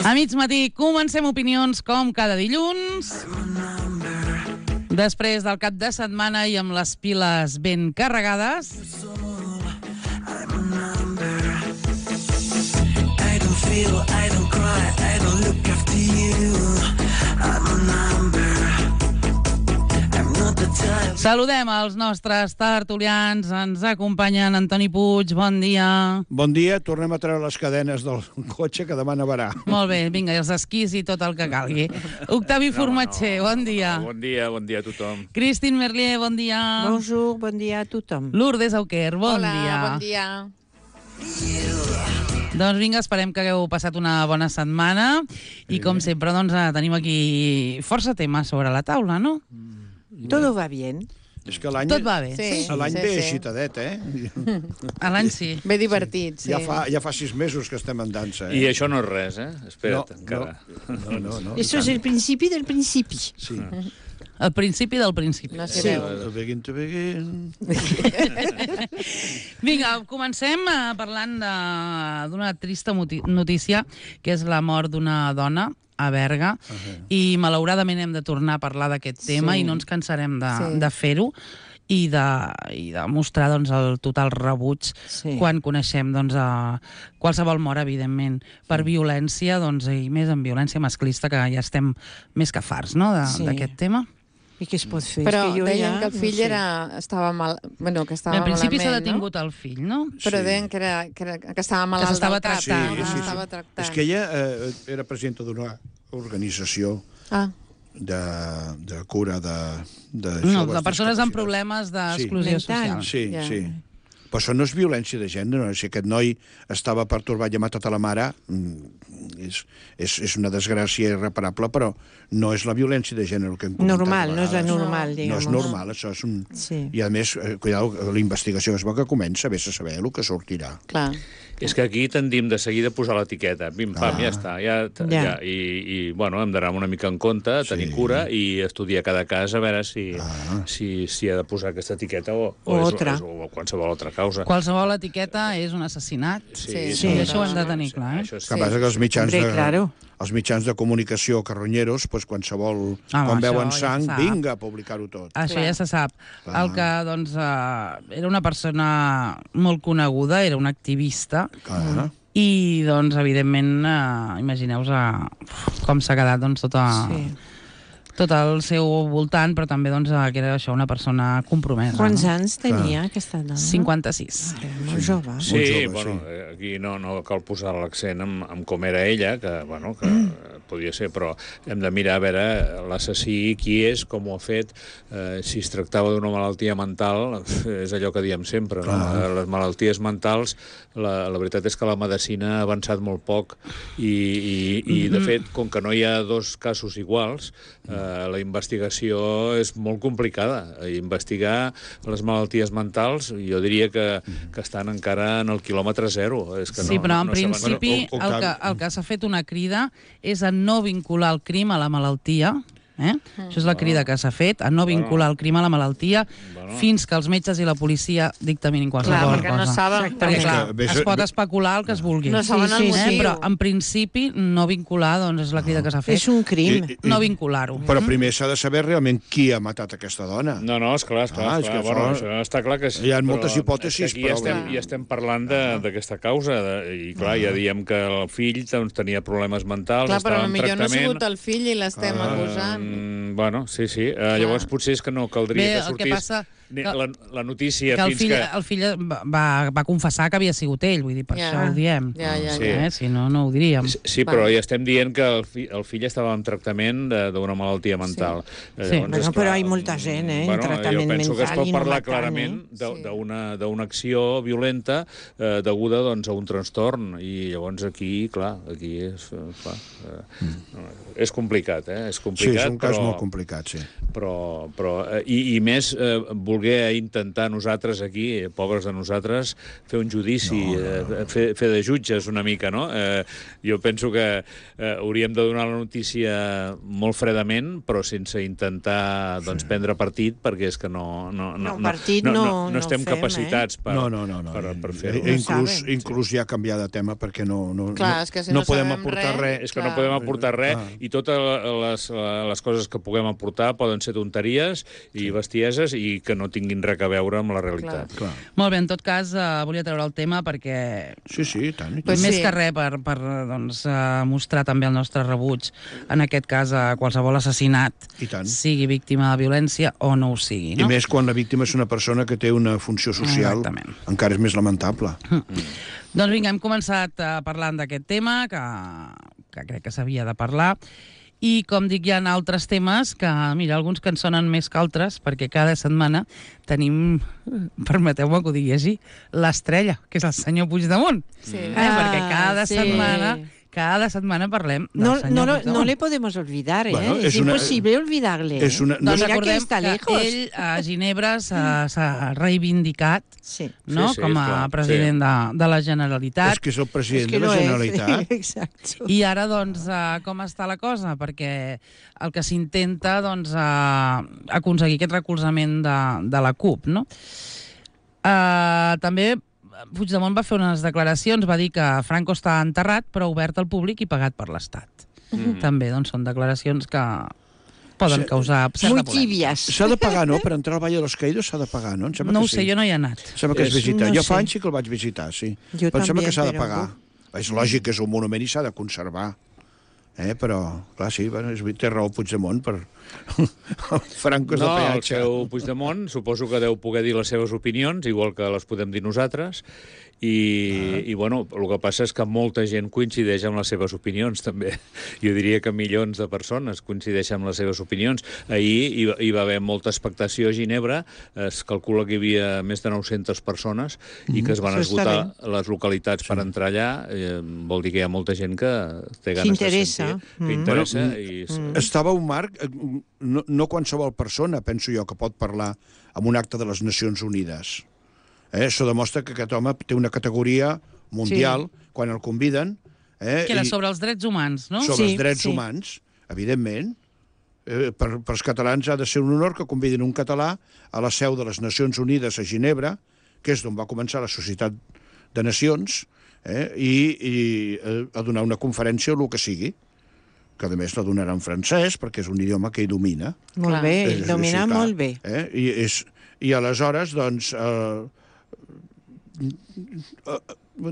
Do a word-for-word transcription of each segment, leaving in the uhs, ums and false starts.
A mig matí comencem opinions com cada dilluns. Després del cap de setmana i amb les piles ben carregades. Saludem els nostres tertulians. Ens acompanyen Antoni Puig, bon dia. Bon dia, tornem a treure les cadenes del cotxe que demà nevarà. Molt bé, vinga, i els esquís i tot el que calgui. Octavi no, Formatger, no. bon dia. Bon dia, bon dia a tothom. Christine Merlier, bon dia. Bonjour, bon dia a tothom. Lourdes Auquer, bon Hola, dia. Hola, bon dia. Doncs vinga, esperem que hagueu passat una bona setmana i com sempre doncs, tenim aquí força temes sobre la taula, no? Todo va bien. És que l'any Tot va bé. Sí, l'any sí, ve sí. agitadet, eh? A l'any sí. Bé divertit, sí. Ja fa, ja fa sis mesos que estem en dansa, eh? I això no és res, eh? Espera't, no, encara. No, no, no. Eso es el principi del principi. Sí. El principi del principi. No Sí. sé. Begin to begin. Vinga, comencem eh, parlant de- d'una trista moti- notícia, que és la mort d'una dona a Berga, uh -huh. i malauradament hem de tornar a parlar d'aquest tema Sí. i no ens cansarem de, Sí. de fer-ho i de, i de mostrar doncs, el total rebuig Sí. quan coneixem doncs, a qualsevol mort, evidentment, per violència, doncs, i més en violència masclista, que ja estem més que farts, no?, de- Sí. d'aquest tema. I què es pot fer? Però És que jo deien ja que el fill no sé. era, estava mal... Bueno, que estava En principi s'ha malament, detingut el fill, no? no? Però Sí. deien que, era, que, era, que estava malalt s'estava del cap. tractant. que Sí, sí, sí. s'estava tractant. És que ella eh, era presidenta d'una organització Ah, de, de cura de, de No, joves de persones amb discapacitats. problemes d'exclusió Sí. social. Mental. Sí, Ja. sí. Però això no és violència de gènere. No? Si aquest noi estava pertorbat i ha matat a la mare, mm, és, és, és una desgràcia irreparable, però no és la violència de gènere que hem comentat Normal, a no és la vegades. normal, No digamos. és normal, això és un... Sí. I a més, eh, cuidado, la investigació es veu que comença, vés a saber el que sortirà. clar. És que aquí tendim de seguida a posar l'etiqueta. Pim, pam, Ah. ja està. Ja, Ja. ja. I, I, bueno, hem d'anar una mica en compte, tenir Sí. cura i estudiar cada cas a veure si, Ah. si, si ha de posar aquesta etiqueta o, O és, altra. és, o qualsevol altra causa. Qualsevol etiqueta és un assassinat. Sí, sí, I això ho hem de tenir clar, eh? Això Que sí. passa que els mitjans, Hombre, de, claro. els mitjans de comunicació carronyeros, pues, qualsevol... Ah, quan això veuen ja sang, se sap. vinga a publicar-ho tot. Això Clar. ja se sap. Clar. El que, doncs, eh, era una persona molt coneguda, era un activista, Clar. i, doncs, evidentment, eh, imagineu-vos eh, com s'ha quedat, doncs, tota... Sí. tot el seu voltant, però també doncs, que era això, una persona compromesa. Quants no? anys tenia aquesta dona? cinquanta-sis. Era molt jove. Sí, Molt jove, bueno, sí. eh, aquí no, no cal posar l'accent en, en com era ella, que, bueno, que Mm. podia ser, però hem de mirar a veure l'assassí, qui és, com ho ha fet, eh, si es tractava d'una malaltia mental, és allò que diem sempre, no? Clar. Les malalties mentals, la, la veritat és que la medicina ha avançat molt poc i, i, i de fet, com que no hi ha dos casos iguals, eh, la investigació és molt complicada. Investigar les malalties mentals, jo diria que, que estan encara en el quilòmetre zero. És que Sí, no, però en no, no saben- principi Bueno, o- o el que, canvi. el que s'ha fet una crida és a no vincular el crim a la malaltia. Eh? Això és la crida que s'ha fet, a no vincular el crim a la malaltia Bueno. fins que els metges i la policia dictaminin Clar, qualsevol perquè no cosa. saben... Perquè, És clar, que vés- es pot especular el que es vulgui. No saben Sí, el sí, motiu. sí. eh? Però, en principi, no vincular, doncs, és la crida que s'ha fet. És un crim. I- i- No vincular-ho. Però primer s'ha de saber realment qui ha matat aquesta dona. No, no, esclar, esclar, Ah, ah, és esclar. que Bueno, això- això està clar que sí. Hi ha però moltes hipòtesis, és que aquí però- ja estem, ja estem parlant de- d'aquesta causa, de, i clar, ja diem que el fill doncs, tenia problemes mentals, Clar, però estava en potser no ha tractament... sigut el fill i l'estem acusant. Mm, bueno, sí, sí. Uh, llavors potser és que no caldria Bé, que el que sortís passa ni- que- la, la notícia Que el fins fill, que... el fill va, va, va confessar que havia sigut ell, vull dir, per Ja. això ho diem. Ja, ja, Sí. ja. Eh? Si no, no ho diríem. Sí, Sí, però ja estem dient que el, fi, el fill estava en tractament de- d'una malaltia mental. Eh, Sí. Bueno, esclar, però hi ha molta gent, eh, en bueno, tractament jo penso que es mental pot i no parlar matant, clarament eh? de- Sí. d'una d'una acció violenta eh, deguda doncs, a un trastorn, i llavors aquí, clar, aquí és, eh, clar, eh, no, és complicat, eh? És Sí, complicat, és un cas però, molt complicat, sí. Però, però, eh, i, i més eh, voler intentar nosaltres aquí, eh, pobres de nosaltres, fer un judici, no, no, no. Eh, fer, fer de jutges una mica, no? Eh, jo penso que eh, hauríem de donar la notícia molt fredament, però sense intentar doncs, sí. prendre partit, perquè és que no, no, no, no, partit no, no, no, no estem no fem, capacitats per, no, no, no, no. per, per fer-ho. I, inclús, inclús ja canviar de tema, perquè no, no, clar, no, és que si no, no podem sabem aportar res, res. És que clar. no podem aportar res, Clar. i totes les, les coses que puguem aportar poden ser tonteries i bestieses i que no tinguin res a veure amb la realitat. Clar. Molt bé, en tot cas, uh, volia treure el tema perquè... Sí, sí, i tant. I tant. Pues més sí. que res per, per doncs, uh, mostrar també el nostre rebuig, en aquest cas, a qualsevol assassinat, I tant. sigui víctima de violència o no ho sigui. No? I més quan la víctima és una persona que té una funció social, Exactament. encara és més lamentable. Mm. Doncs vinga, hem començat uh, parlant d'aquest tema, que, que crec que s'havia de parlar, i, com dic, hi ha altres temes que, mira, alguns que en sonen més que altres, perquè cada setmana tenim, permeteu-me que ho digui així, l'estrella, que és el senyor Puigdemont. Sí. Eh? Perquè cada Ah, sí. setmana... Cada setmana parlem del No, senyor no, lo- Puigdemont. no le podemos olvidar, ¿eh? Bueno, es, es una- imposible olvidarle. és una- ¿eh? no- Doncs Mira que recordem està que lejos. ell a Ginebra s'ha s'ha reivindicat, Sí. no? Sí, sí, com a esclar, president sí. de, de la Generalitat. És que és el president Es que de la lo es. Generalitat. Exacto. I ara, doncs, uh, com està la cosa? Perquè el que s'intenta, doncs, uh, aconseguir aquest recolzament de, de la CUP, no? Uh, també Puigdemont va fer unes declaracions, va dir que Franco està enterrat, però obert al públic i pagat per l'Estat. Mm. També, doncs, són declaracions que poden Sí. causar certa Muy polèmica. tibias. S'ha de pagar, no? Per entrar al Valle de los Caídos s'ha de pagar, no? Em sembla No que ho sé, sí. jo no hi he anat. Em sembla que es És- visita. no jo sé. fa anys sí que el vaig visitar, sí. Jo però em sembla també, que s'ha de però- pagar. És lògic que és un monument i s'ha de conservar. Eh? Però, clar, sí, bueno, és, té raó Puigdemont per... el Franco és No, de el peatge. seu Puigdemont suposo que deu poder dir les seves opinions, igual que les podem dir nosaltres, i, ah. i bueno, el que passa és que molta gent coincideix amb les seves opinions, també. Jo diria que milions de persones coincideixen amb les seves opinions. Ahir hi, va- hi va haver molta expectació a Ginebra, es calcula que hi havia més de nou-centes persones i que es van Això està esgotar les localitats per entrar allà. Eh, vol dir que hi ha molta gent que té ganes de S'interessa. sentir, que Mm. interessa. Bueno, I, Estava un marc, eh, no, no qualsevol persona, penso jo, que pot parlar en un acte de les Nacions Unides. Eh? Això demostra que aquest home té una categoria mundial, sí. quan el conviden... Eh? Que era i- sobre els drets humans, no? sobre Sí, els drets sí. humans, evidentment. Eh, per, per als catalans ha de ser un honor que convidin un català a la seu de les Nacions Unides a Ginebra, que és d'on va començar la Societat de Nacions, eh? i, i eh, a donar una conferència o el que sigui, que a més la donarà en francès, perquè és un idioma que ell domina. Molt Clar. bé, Eh, ell domina sí, clar, molt bé. Eh? I, és, I aleshores, doncs... Eh, eh,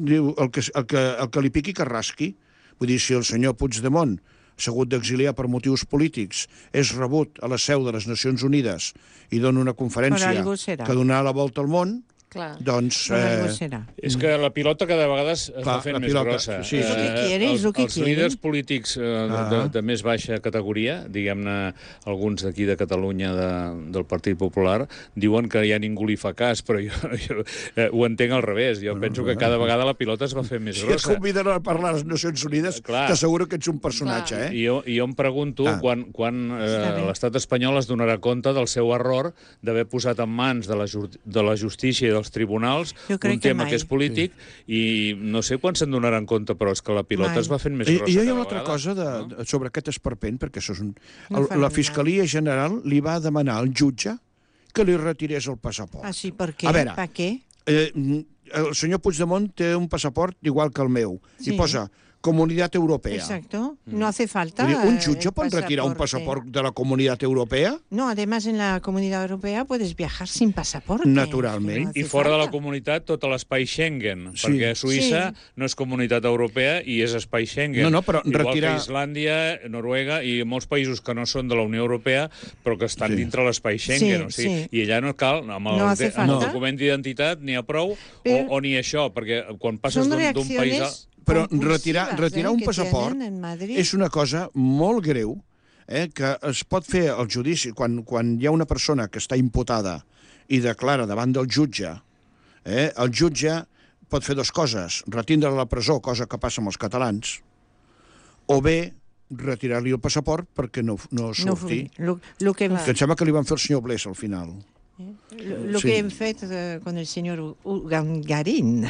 diu, el que, el, que, el que li piqui que rasqui. Vull dir, si el senyor Puigdemont s'ha hagut d'exiliar per motius polítics, és rebut a la seu de les Nacions Unides i dona una conferència Per algú serà. que donarà la volta al món, Clar. doncs... Per algú Eh, serà. És que la pilota cada vegada es Clar, va fent la més pilota, grossa. sí, sí. És el que Eh, quiere, és els, el que els quiere. líders polítics eh, de, Ah. de, de més baixa categoria, diguem-ne alguns d'aquí de Catalunya de, del Partit Popular, diuen que ja ningú li fa cas, però jo, jo eh, ho entenc al revés. Jo Bueno, penso que bueno. cada vegada la pilota es va fer més si et grossa. conviden a parlar a les Nacions Unides, Clar. t'asseguro que ets un personatge, Clar. eh? I jo, i jo em pregunto Ah. quan, quan Està eh, bé. l'estat espanyol es donarà compte del seu error d'haver posat en mans de la, ju- de la justícia i dels tribunals Jo crec un que tema mai. que és polític i no sé quan se'n donaran compte, però és que la pilota Mai. es va fent més I, grossa I jo hi ha cada una altra vegada, cosa de, no? de, sobre aquest esperpent, perquè això és un... No El, farem la Fiscalia General li va demanar al jutge que li retirés el passaport. Ah, sí, per què? A veure, Per què? Eh, el senyor Puigdemont té un passaport igual que el meu, Sí. i posa Comunitat Europea. Exacto. No hace falta. Vull dir, un eh, jutge pot retirar un pasaporte. passaport de la Comunitat Europea? No, además en la Comunidad Europea puedes viajar sin pasaporte. Naturalment. Es que I no hace fora de la falta. comunitat, tot l'espai Schengen, Sí. perquè Suïssa Sí. no és comunitat europea i és espai Schengen. No, no, però Igual retirar- que Islàndia, Noruega i molts països que no són de la Unió Europea, però que estan Sí. dintre l'espai Schengen. Sí, o sigui, sí. I allà no cal, amb el, No hace amb el falta. document d'identitat n'hi ha prou, Però- o, o ni això, perquè quan passes Son d'un d'un país a... reacciones Però compulsives, retirar, retirar eh, un que passaport tienen en Madrid. és una cosa molt greu, eh, que es pot fer el judici quan, quan hi ha una persona que està imputada i declara davant del jutge, eh, el jutge pot fer dues coses, retindre a la presó, cosa que passa amb els catalans, o bé retirar-li el passaport perquè no, no No, surti. lo, lo que hem, Que em sembla que li van fer el senyor Blesa al final. lo, lo Sí. que hem fet eh, con el senyor Ugangarín.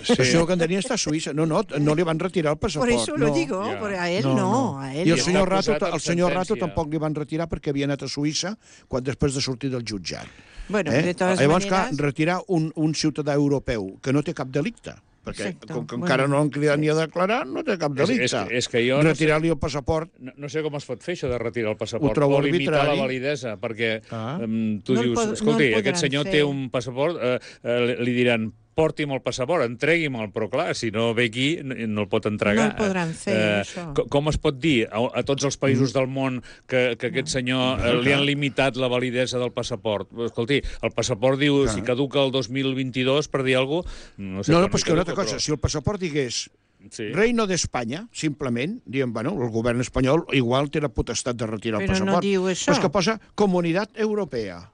Sí. El senyor Gandarín està a Suïssa. No, no, no li van retirar el Por passaport. eso lo no. digo, Ja. por a él no, a él I el I no. està senyor Rato, acusat amb el senyor Rato sentència. tampoc li van retirar perquè havia anat a Suïssa quan després de sortir del jutjat. Bueno, Eh? de todas Llavors, maneras... clar, retirar un, un ciutadà europeu que no té cap delicte, perquè Exacte. com que Bueno, encara no l'han cridat ni a declarar, no té cap És- delicte. és- és que jo no sé- Retirar-li el passaport... No, no sé com es pot fer això de retirar el passaport Ho trobo o limitar arbitrari. la validesa, perquè Ah. um, tu No el dius, pod- escolti, no el aquest podran senyor fer. té un passaport, eh, eh, li diran porti'm el passaport, entregui'm-el, però clar, si no ve aquí no, no el pot entregar. No el podran fer, això. co- Com es pot dir a, a tots els països del món que, que aquest senyor eh, li han limitat la validesa del passaport? Escolti, el passaport diu, Clar. si caduca el dos mil vint-i-dos, per dir alguna cosa, no sé No, no, quan però és que una altra caduca, cosa, si el passaport digués Sí. Reino d'Espanya, simplement, diem, bueno, el govern espanyol igual té la potestat de retirar el Però no passaport. diu això. Però és que posa Comunitat Europea.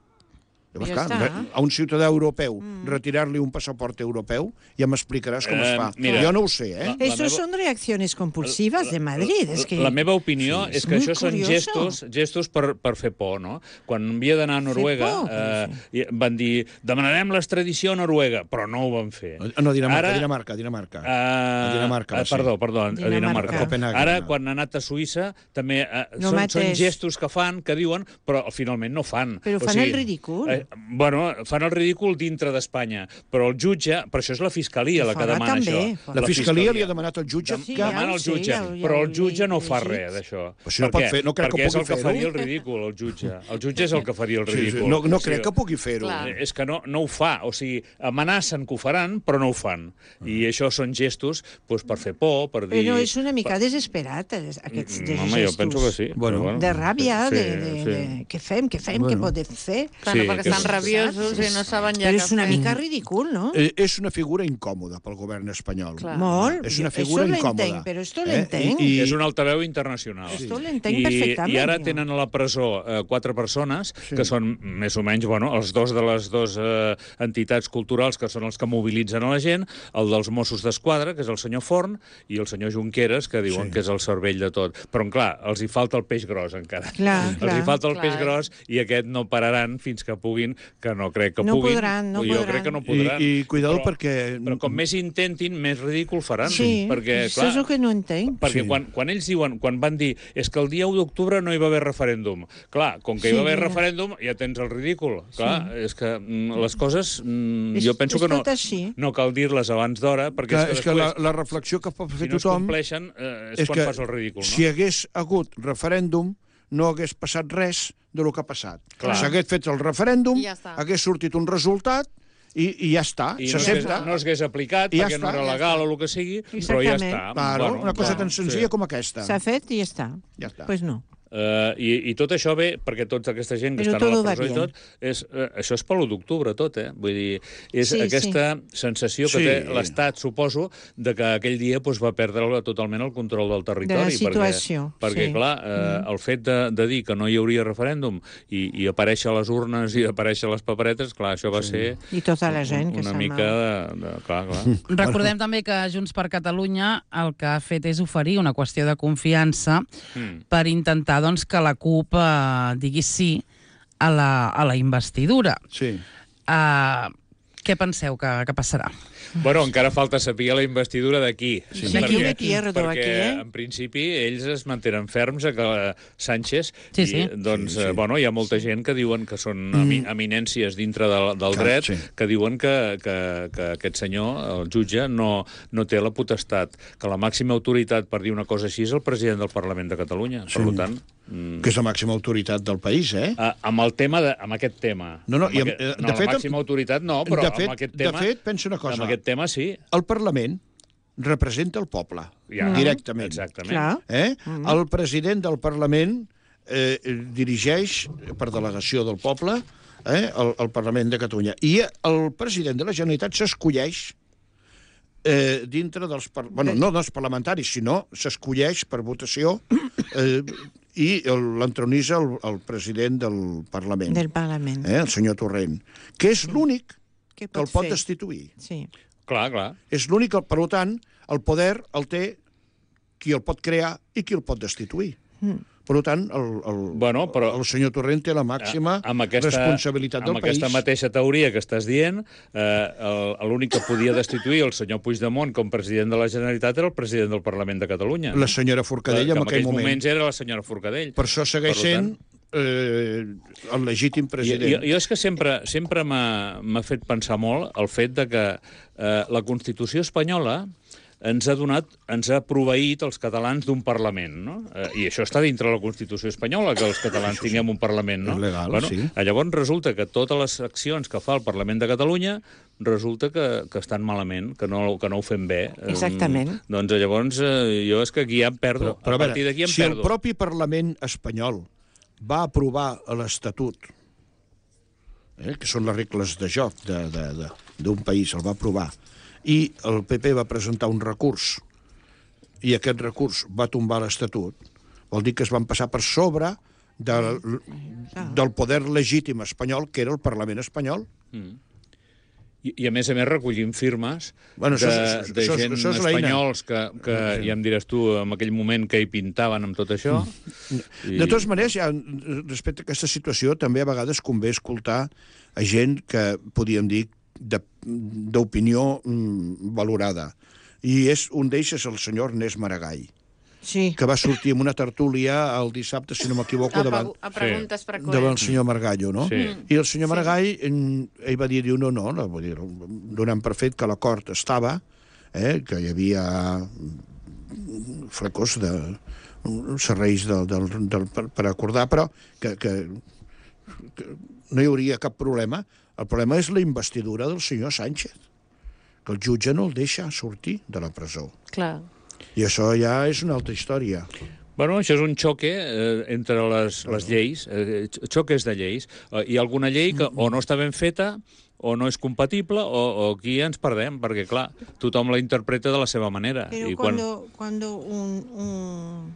Llavors, Ja clar, està. re- a un ciutadà europeu mm. retirar-li un passaport europeu, ja m'explicaràs com Eh, es fa. mira, jo no ho sé, eh? la- Estos meva- son reacciones compulsivas de Madrid. Es que La meva opinió Sí, és és que muy això són curioso. gestos, gestos per, per fer por, no? Quan havia d'anar a Noruega, por, eh, i van dir, demanarem l'extradició a Noruega, però no ho van fer. No, Dinamarca, Ara- Dinamarca, Dinamarca. Uh, A Dinamarca va uh, ser. perdó, perdó, a Dinamarca. Dinamarca. A Copenhague, Ara, no. quan ha anat a Suïssa, també uh, No són, són mateix. gestos que fan, que diuen, però finalment no fan. Però fan el ridícul. Eh, bueno, fan el ridícul dintre d'Espanya, però el jutge, però això és la Fiscalia la que Fora demana també, això. fora. La Fiscalia li ha demanat al jutge Dem Sí, que... ja demana ho el sé, jutge, ja ho- ja però ho el jutge he no fa llegit. res d'això. Però si no Per pot què? fer- no crec que Perquè és pugui el que fer-ho. faria el ridícul, el jutge. El jutge és el que faria el Sí, sí, ridícul. no, no O sigui, crec que pugui fer-ho. Clar. Eh, És que no, no ho fa, o sigui, amenacen que ho faran, però no ho fan. I això són gestos doncs, per fer por, per dir... Però és una mica desesperat, eh, aquests Mm, gestos. Home, jo penso que sí. Bueno. però De ràbia, Sí, de, de, sí. de... Què fem, què fem, Bueno. què podem fer? Bueno, Sí, perquè que- estan rabiosos i no saben ja Però què és una fer. mica ridícul, no? Eh, és una figura incòmoda pel govern espanyol. Clar. Molt. És una Jo- figura esto incòmoda. l'entenc, però esto Eh? l'entenc. I- És un altaveu internacional. Esto l'entenc I, perfectament, I ara jo. tenen a la presó eh, quatre persones Sí. que són més o menys, bueno, els dos de les dues eh, entitats culturals que són els que mobilitzen a la gent, el dels Mossos d'Esquadra, que és el senyor Forn, i el senyor Junqueras, que diuen Sí. que és el cervell de tot. Però, clar, els hi falta el peix gros encara. Clar, els clar. hi falta el Clar. peix gros i aquest no pararan fins que puguin, que no crec que No puguin. podran, no jo podran. crec que no podran. I, i cuidado però, perquè... Però com més intentin, més ridícul faran. Sí, perquè, això clar, és el que no entenc. perquè Sí. quan, quan ells diuen, quan van dir és que el dia u d'octubre no hi va haver referèndum. Clar, com que hi Sí, va haver mira. referèndum, ja tens el ridícul. Clar, és que mm, les coses, mm, És- jo penso és que no, tot així. no cal dir-les abans d'hora, perquè Que, és que és que després, la, la reflexió que pot fer si no es tothom compleixen, eh, és, és quan que fas el ridícul, no? si hi hagués hagut referèndum no hagués passat res de lo que ha passat. Clar. S'hagués fet el referèndum, I ja està. hagués sortit un resultat i, i ja està, I no s'hagués s'accepta. no s'hagués aplicat I ja perquè no està, era ja legal està. o el que sigui, però ja Exactament. està. Claro, Bueno, una cosa clar, tan senzilla sí. com aquesta. S'ha fet i ja està. Ja està. Pues no. Uh, i, I tot això ve perquè tota aquesta gent que Però estan a todo la va presó i bien. tot, és, uh, això és per l'u d'octubre tot, eh? Vull dir, és Sí, aquesta sensació que Sí. té l'Estat, suposo, de que aquell dia doncs, va perdre totalment el control del territori. situació, Perquè, perquè sí. clar, eh, el fet de, de dir que no hi hauria referèndum i, i aparèixer a les urnes i aparèixer a les paperetes, clar, això va ser I tota la gent que una se'n mica va. de, de... Clar, clar. Recordem també que Junts per Catalunya el que ha fet és oferir una qüestió de confiança Mm. per intentar doncs, que la CUP eh, digui sí a la, a la investidura. Sí. Uh, què penseu que, que passarà? Bueno, encara falta saber la investidura d'aquí. Sí. Aquí me pierdo, perquè, aquí, eh? en principi, ells es mantenen ferms a que eh, Sánchez... Sí, i, sí. doncs, Sí, sí. eh, bueno, hi ha molta gent que diuen que són emi eminències dintre del, del Clar, dret, sí. que diuen que, que, que aquest senyor, el jutge, no, no té la potestat, que la màxima autoritat per dir una cosa així és el president del Parlament de Catalunya. Sí. Per tant... Mm, Que és la màxima autoritat del país, eh? a, amb el tema de, amb aquest tema. No, no, amb i amb- aquest, eh, no de fet, la màxima autoritat no, però de fet, amb aquest de tema... fet, pensa una cosa. Amb aquest tema sí. El Parlament representa el poble, Ja, directament. Exactament. Clar. Eh? El president del Parlament eh, dirigeix, per delegació del poble, eh, el, el Parlament de Catalunya. I el president de la Generalitat s'escolleix eh, dintre dels... Par... Bueno, no dels parlamentaris, sinó s'escolleix per votació eh, i el- l'entronitza el, el president del Parlament, Del Parlament. eh, el senyor Torrent, que és l'únic Què que el pot pot fer? destituir. Sí. Clar, clar. És l'únic, per tant, el poder el té qui el pot crear i qui el pot destituir. Mm. Per tant, el, el, bueno, però, el senyor Torrent té la màxima amb aquesta, responsabilitat del amb país. Amb aquesta mateixa teoria que estàs dient, eh, l'únic que podia destituir el senyor Puigdemont com president de la Generalitat era el president del Parlament de Catalunya. La senyora Forcadell, la, en aquell moment. En moments era la senyora Forcadell. Per això segueix per sent eh, el legítim president. Jo, jo és que sempre, sempre m'ha fet pensar molt el fet de que eh, la Constitució espanyola ens ha donat, ens ha proveït els catalans d'un Parlament, no? Eh, I això està dintre la Constitució espanyola, que els catalans tinguem un Parlament, no? És legal, bueno, sí. Llavors resulta que totes les accions que fa el Parlament de Catalunya resulta que, que estan malament, que no, que no ho fem bé. Exactament. Eh, doncs llavors eh, jo és que aquí ja em perdo. Però, però a partir d'aquí em si perdo. Si el propi Parlament espanyol va aprovar l'Estatut, eh, que són les regles de joc d'un país, el va aprovar, i el P P va presentar un recurs i aquest recurs va tombar l'Estatut, vol dir que es van passar per sobre del, del poder legítim espanyol, que era el Parlament espanyol. Mm. I, I, a més a més, recollim firmes bueno, de, això, això, de això, gent això espanyols que, que sí. Ja em diràs tu, en aquell moment, que hi pintaven amb tot això. Mm. I... De totes maneres, ja, respecte a aquesta situació, també a vegades convé escoltar a gent que, podríem dir, d'opinió mm, valorada. I és, un d'ells és el senyor Ernest Maragall, sí. que va sortir en una tertúlia el dissabte, si no m'equivoco, davant, a preguntes sí. davant el senyor Margallo, no? Sí. I el senyor Maragall, sí. ell va dir, diu, no, no, no vull dir, donant per fet que l'acord estava, eh, que hi havia flecos de serveis del, del, del, per, per acordar, però que, que, que no hi hauria cap problema. El problema és la investidura del senyor Sánchez, que el jutge no el deixa sortir de la presó. Clar. I això ja és una altra història. Bueno, això és un xoque eh, entre les, les lleis, eh, xoques de lleis. Eh, hi ha alguna llei que o no està ben feta, o no és compatible, o, o aquí ens perdem, perquè, clar, tothom la interpreta de la seva manera. Però I quan... quan... cuando un, un,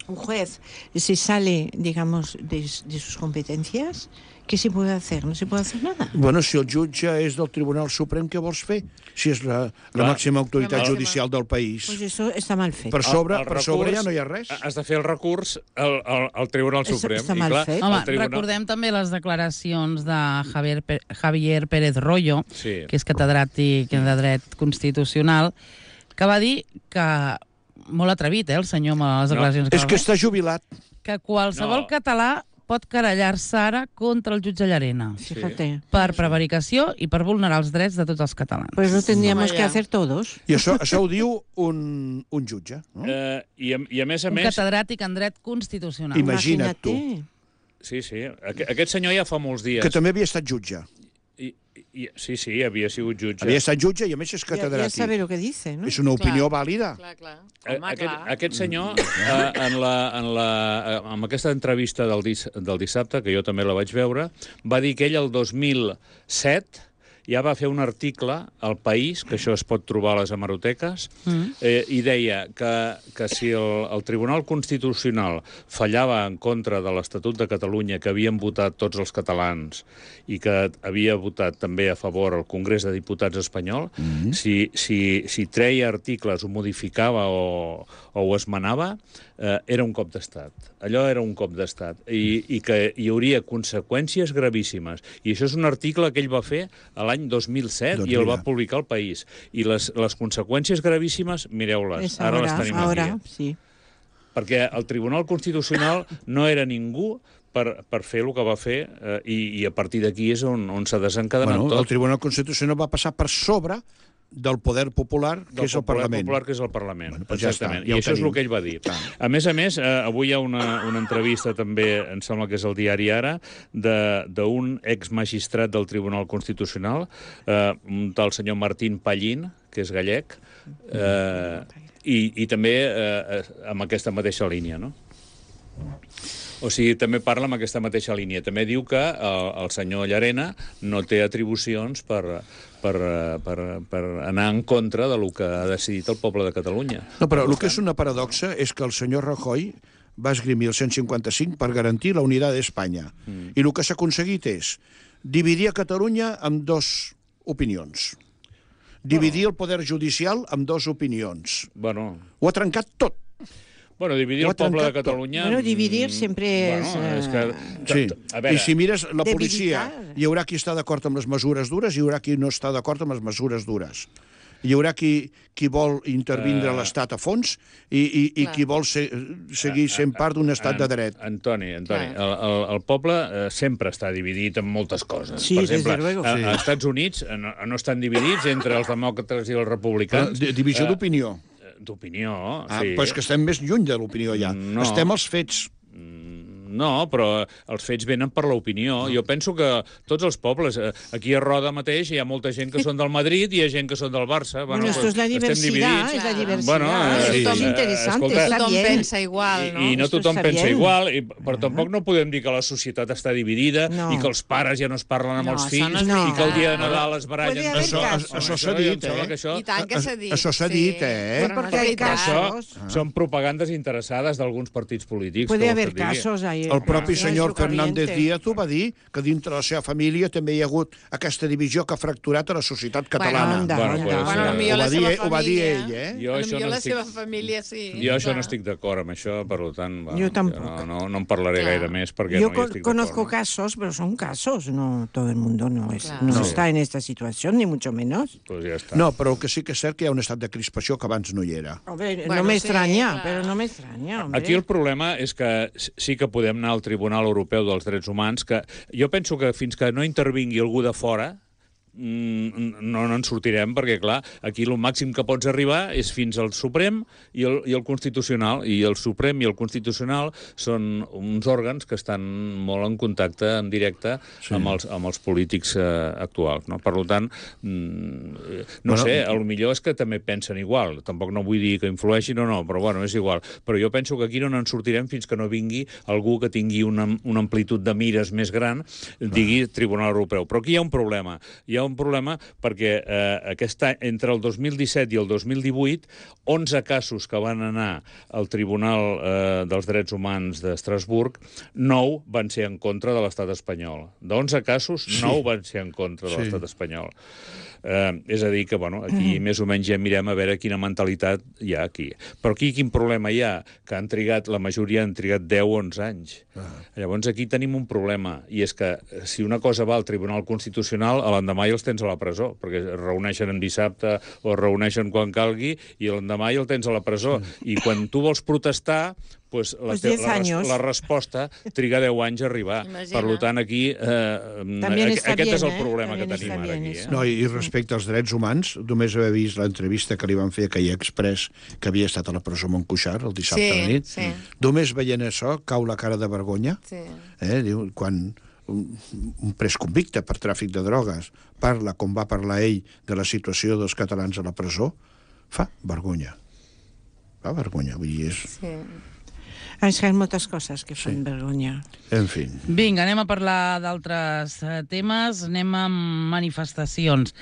un juez se sale, digamos, de, de sus competencias, ¿qué se puede hacer? No se puede hacer nada. Bueno, si el jutge és del Tribunal Suprem, què vols fer? Si és la, la Clar, màxima autoritat la màxima. judicial del país. Pues eso está mal fet. Per sobre, el, el per recurs, sobre ja no hi ha res. Has de fer el recurs al, al, al Tribunal Eso Suprem. està I, mal clar, fet. Home, tribunal... recordem també les declaracions de Javier, Javier Pérez Royo, sí. que és catedràtic de dret constitucional, que va dir que, molt atrevit, eh, el senyor, amb les declaracions No, que és va que fer, està jubilat. que qualsevol No. català pot querellar-se ara contra el jutge Llarena Fíjate. per prevaricació i per vulnerar els drets de tots els catalans. Pues lo tendríamos Toma que ya. hacer todos. I això, això ho diu un, un jutge. No? Eh, i, a, I a més a Un més... catedràtic en dret constitucional. Imagina't tu. Sí, sí. Aqu aquest senyor ja fa molts dies... Que també havia estat jutge. I, i, sí, sí, havia sigut jutge. Havia estat jutge i a més és Ya, ya catedràtic. sabe lo que dice, ¿no? És una opinió Clar. vàlida. Clar, clar. Eh, Home, aquest, clar. aquest senyor, eh, en, la, en, la, eh, en aquesta entrevista del, dis, del dissabte, que jo també la vaig veure, va dir que ell el dos mil set ja va fer un article al País, que això es pot trobar a les hemeroteques, mm. eh, i deia que, que si el, el Tribunal Constitucional fallava en contra de l'Estatut de Catalunya que havien votat tots els catalans i que havia votat també a favor el Congrés de Diputats espanyol, mm. si, si, si treia articles, ho modificava o, o ho esmenava, eh, era un cop d'estat. Allò era un cop d'estat. I, I que hi hauria conseqüències gravíssimes. I això és un article que ell va fer a l'any dos mil set doncs i el va publicar al País. I les, les conseqüències gravíssimes, mireu-les, ara, ara les tenim ahora, aquí. Sí. Perquè el Tribunal Constitucional no era ningú per, per fer el que va fer eh, i, i a partir d'aquí és on, on s'ha desencadenat Bueno, tot. el Tribunal Constitucional va passar per sobre del poder popular, que del és el poder Parlament. popular, que és el Parlament. Bueno, doncs ja Exactament. està, ja I ho això és tenim. el que ell va dir. Clar. A més a més, eh, avui hi ha una, una entrevista també, em sembla que és el diari Ara, d'un exmagistrat del Tribunal Constitucional, eh, un tal senyor Martín Pallín, que és gallec, eh, i, i també eh, amb aquesta mateixa línia, no? O sigui, també parla amb aquesta mateixa línia. També diu que el, el senyor Llarena no té atribucions per, per, per, per anar en contra de lo que ha decidit el poble de Catalunya. No, però el que és una paradoxa és que el senyor Rajoy va esgrimir el cent cinquanta-cinc per garantir la unitat d'Espanya. Mm. I el que s'ha aconseguit és dividir a Catalunya amb dos opinions. dividir el poder judicial amb dues opinions. Bueno, Ho ha trencat tot. bueno dividir Ho el ha poble de trencat tot. Catalunya... Bueno, dividir mm, sempre és, Bueno, és que... Sí. A veure, I si mires la policia, debilitar. hi haurà qui està d'acord amb les mesures dures i hi haurà qui no està d'acord amb les mesures dures. Hi haurà qui, qui vol intervindre Eh. l'Estat a fons i, i, i Clar. qui vol ser, seguir sent part d'un estat de dret. Antoni, Antoni, el, Clar. el, el poble eh, sempre està dividit en moltes coses. Sí, per desde exemple, luego. a, Sí. als Estats Units eh, no, no estan dividits entre els demòcrates i els Però, republicans. di- divisió Eh, d'opinió. D'opinió, Ah, sí. però és que estem més lluny de l'opinió ja. No. Estem als fets. No, però els fets venen per l'opinió. Jo penso que tots els pobles, eh, aquí a Roda mateix hi ha molta gent que són del Madrid i hi ha gent que són del Barça. Bueno, esto es la estem diversidad, dividits. es la Claro. diversidad. Bueno, eh, Esto sí. es Eh, interesante, escolta, está Tothom bien. pensa igual, no? I, I no Esto tothom està pensa bien. igual, i, però tampoc no podem dir que la societat està dividida No. i que els pares ja no es parlen amb No, els això fills no és i que el dia de veritat. Nadal es barallen. Puede haber Això, casos. això s'ha Home, jo em dit, sembla eh? que això, I tant que s'ha dit. Això s'ha dit, eh? Però no Porque és hay veritat. això casos. són propagandes interessades d'alguns partits polítics. Puede que vols haver que et digui? casos ahí. El propi en senyor su Fernández corriente. Díaz ho va dir, que dintre la seva família també hi ha hagut aquesta divisió que ha fracturat a la societat catalana. anda, Bueno, anda. pues, Bueno, eh, potser ho la va dir seva ell- ho va dir família... ell, eh? Jo això Potser no la estic- seva família, sí. Jo això clar. no estic d'acord amb això, per tant, bueno, Jo tampoc. no, no, no en parlaré Clar. gaire més perquè Yo no hi con- estic conozco d'acord. casos, pero son casos. No todo el mundo no, es, Claro. no No. está en esta situación, ni mucho menos. No? Pues ja està. No, però el que sí que és cert que hi ha un estat de crispació que abans no hi era. Hombre, Bueno, no me sí, extraña, claro. pero no me extraña, hombre. Aquí el problema és que sí que podem anar al Tribunal Europeu dels Drets Humans, que jo penso que fins que no intervingui algú de fora, mm, no, no en sortirem, perquè, clar, aquí el màxim que pots arribar és fins al Suprem i el, i el Constitucional, i el Suprem i el Constitucional són uns òrgans que estan molt en contacte en directe sí. amb, els, amb els polítics eh, actuals, no? Per tant, mm, no Bueno, sé, el millor és que també pensen igual, tampoc no vull dir que influeixin o no, però bueno, és igual. Però jo penso que aquí no en sortirem fins que no vingui algú que tingui una, una amplitud de mires més gran, digui Tribunal Europeu. Però aquí hi ha un problema. Hi ha un problema perquè eh, aquest any, entre el dos mil disset i el dos mil divuit, onze casos que van anar al Tribunal eh, dels Drets Humans d'Estrasburg, nou van ser en contra de l'estat espanyol. d'onze casos, nou van ser en contra de Sí. l'estat espanyol. Eh, és a dir que, bueno, aquí mm. més o menys ja mirem a veure quina mentalitat hi ha aquí. Però aquí quin problema hi ha? Que han trigat, la majoria han trigat deu o onze anys. Ah. Llavors aquí tenim un problema, i és que si una cosa va al Tribunal Constitucional, a l'endemà ja els tens a la presó, perquè es reuneixen en dissabte o es reuneixen quan calgui, i l'endemà ja el tens a la presó. I quan tu vols protestar, pues la, Pues te, diez la, res, años. la resposta triga deu anys a arribar. Imagina. Per tant, aquí eh, También aqu está aquest bien, és el eh? problema También que tenim está ara bien aquí. eso. Eh? No, i respecte als drets humans, només haver vist l'entrevista que li van fer a Calle Express, que havia estat a la presó Montcuixart el dissabte Sí, a la nit. sí. Només veient això, cau la cara de vergonya. Sí. Eh? Diu, quan un, un pres convicte per tràfic de drogues parla, com va parlar ell, de la situació dels catalans a la presó, fa vergonya. Fa vergonya, vull dir, és... Sí. És que hi ha moltes coses que fan vergonya. En fi. Vinga, anem a parlar d'altres eh, temes. Anem amb manifestacions.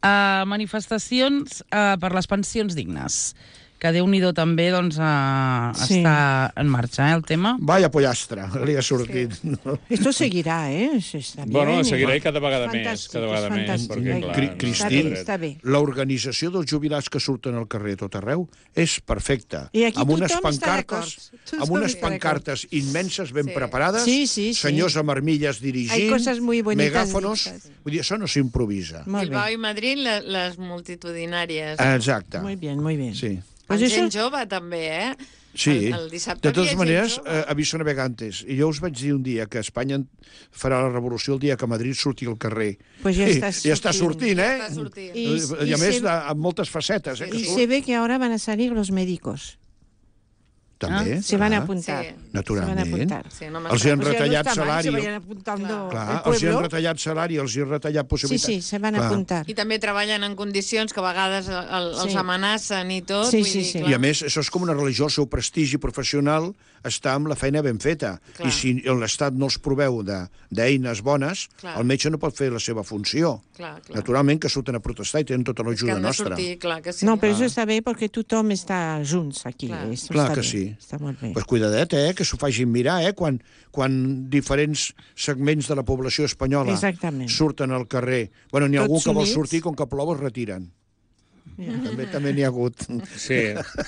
Uh, manifestacions uh, per les pensions dignes, que Déu-n'hi-do també doncs, uh, Sí. està en marxa, eh, el tema. Vaya pollastre, li ha sortit. Sí. No? Esto seguirá, ¿eh? Está bien. Bueno, seguirà i cada vegada més, Fantàstic, cada vegada és més, fantàstic. perquè, Ai, clar, Cri- no Cristín, està Està dret. bé. L'organització dels jubilats que surten al carrer a tot arreu és perfecta. I aquí amb unes tothom està pancartes, d'acord. Tothom amb unes està d'acord. pancartes immenses, ben Sí. preparades, Sí, sí, sí. senyors amb armilles dirigint, Hay cosas muy bonitas megàfonos... dichas. Vull dir, això no s'improvisa. Molt Bilbao bé. i Madrid, le- les multitudinàries. Exacte. Muy bien, muy bien. Sí. Pues Amb eso... gent jove, també, eh? Sí, El, el dissabte de totes havia gent maneres, jove. eh, aviso navegantes. I jo us vaig dir un dia que Espanya farà la revolució el dia que Madrid surti al carrer. Pues ja I, està ja està sortint. sortint, eh? Està sortint. I, I- I, i a més, se- de, amb moltes facetes, eh? que Y surt. se ve que ahora van a salir los médicos. També. Se van a clar. apuntar. Sí. Naturalment. Se van a apuntar. Sí, no Els hi han Pues ya no retallat está mal, salari. se vayan apuntando Clar, el els hi han pueblo. retallat salari, els hi han retallat Sí, possibilitats. sí, se van a Clar. apuntar. I també treballen en condicions que a vegades el, el, els Sí. amenacen i tot. Sí, vull sí, dir, sí. clar. I a més, això és com una religió, el seu prestigi professional està amb la feina ben feta. Clar. I si l'Estat no els proveu de- d'eines bones, Clar. el metge no pot fer la seva funció. Clar, clar. Naturalment que surten a protestar i tenen tota És que l'ajuda han de nostra. sortir, clar que sí. No, però això està bé perquè tothom està junts aquí. Clar. Eso Clar està que bé, sí. Està molt bé. Pues cuidadet, eh, que s'ho facin mirar, eh, quan, quan diferents segments de la població espanyola Exactament. surten al carrer. Bueno, n'hi ha algú Tots que vol units. sortir, com que plou es retiren. També també n'hi ha hagut. Sí.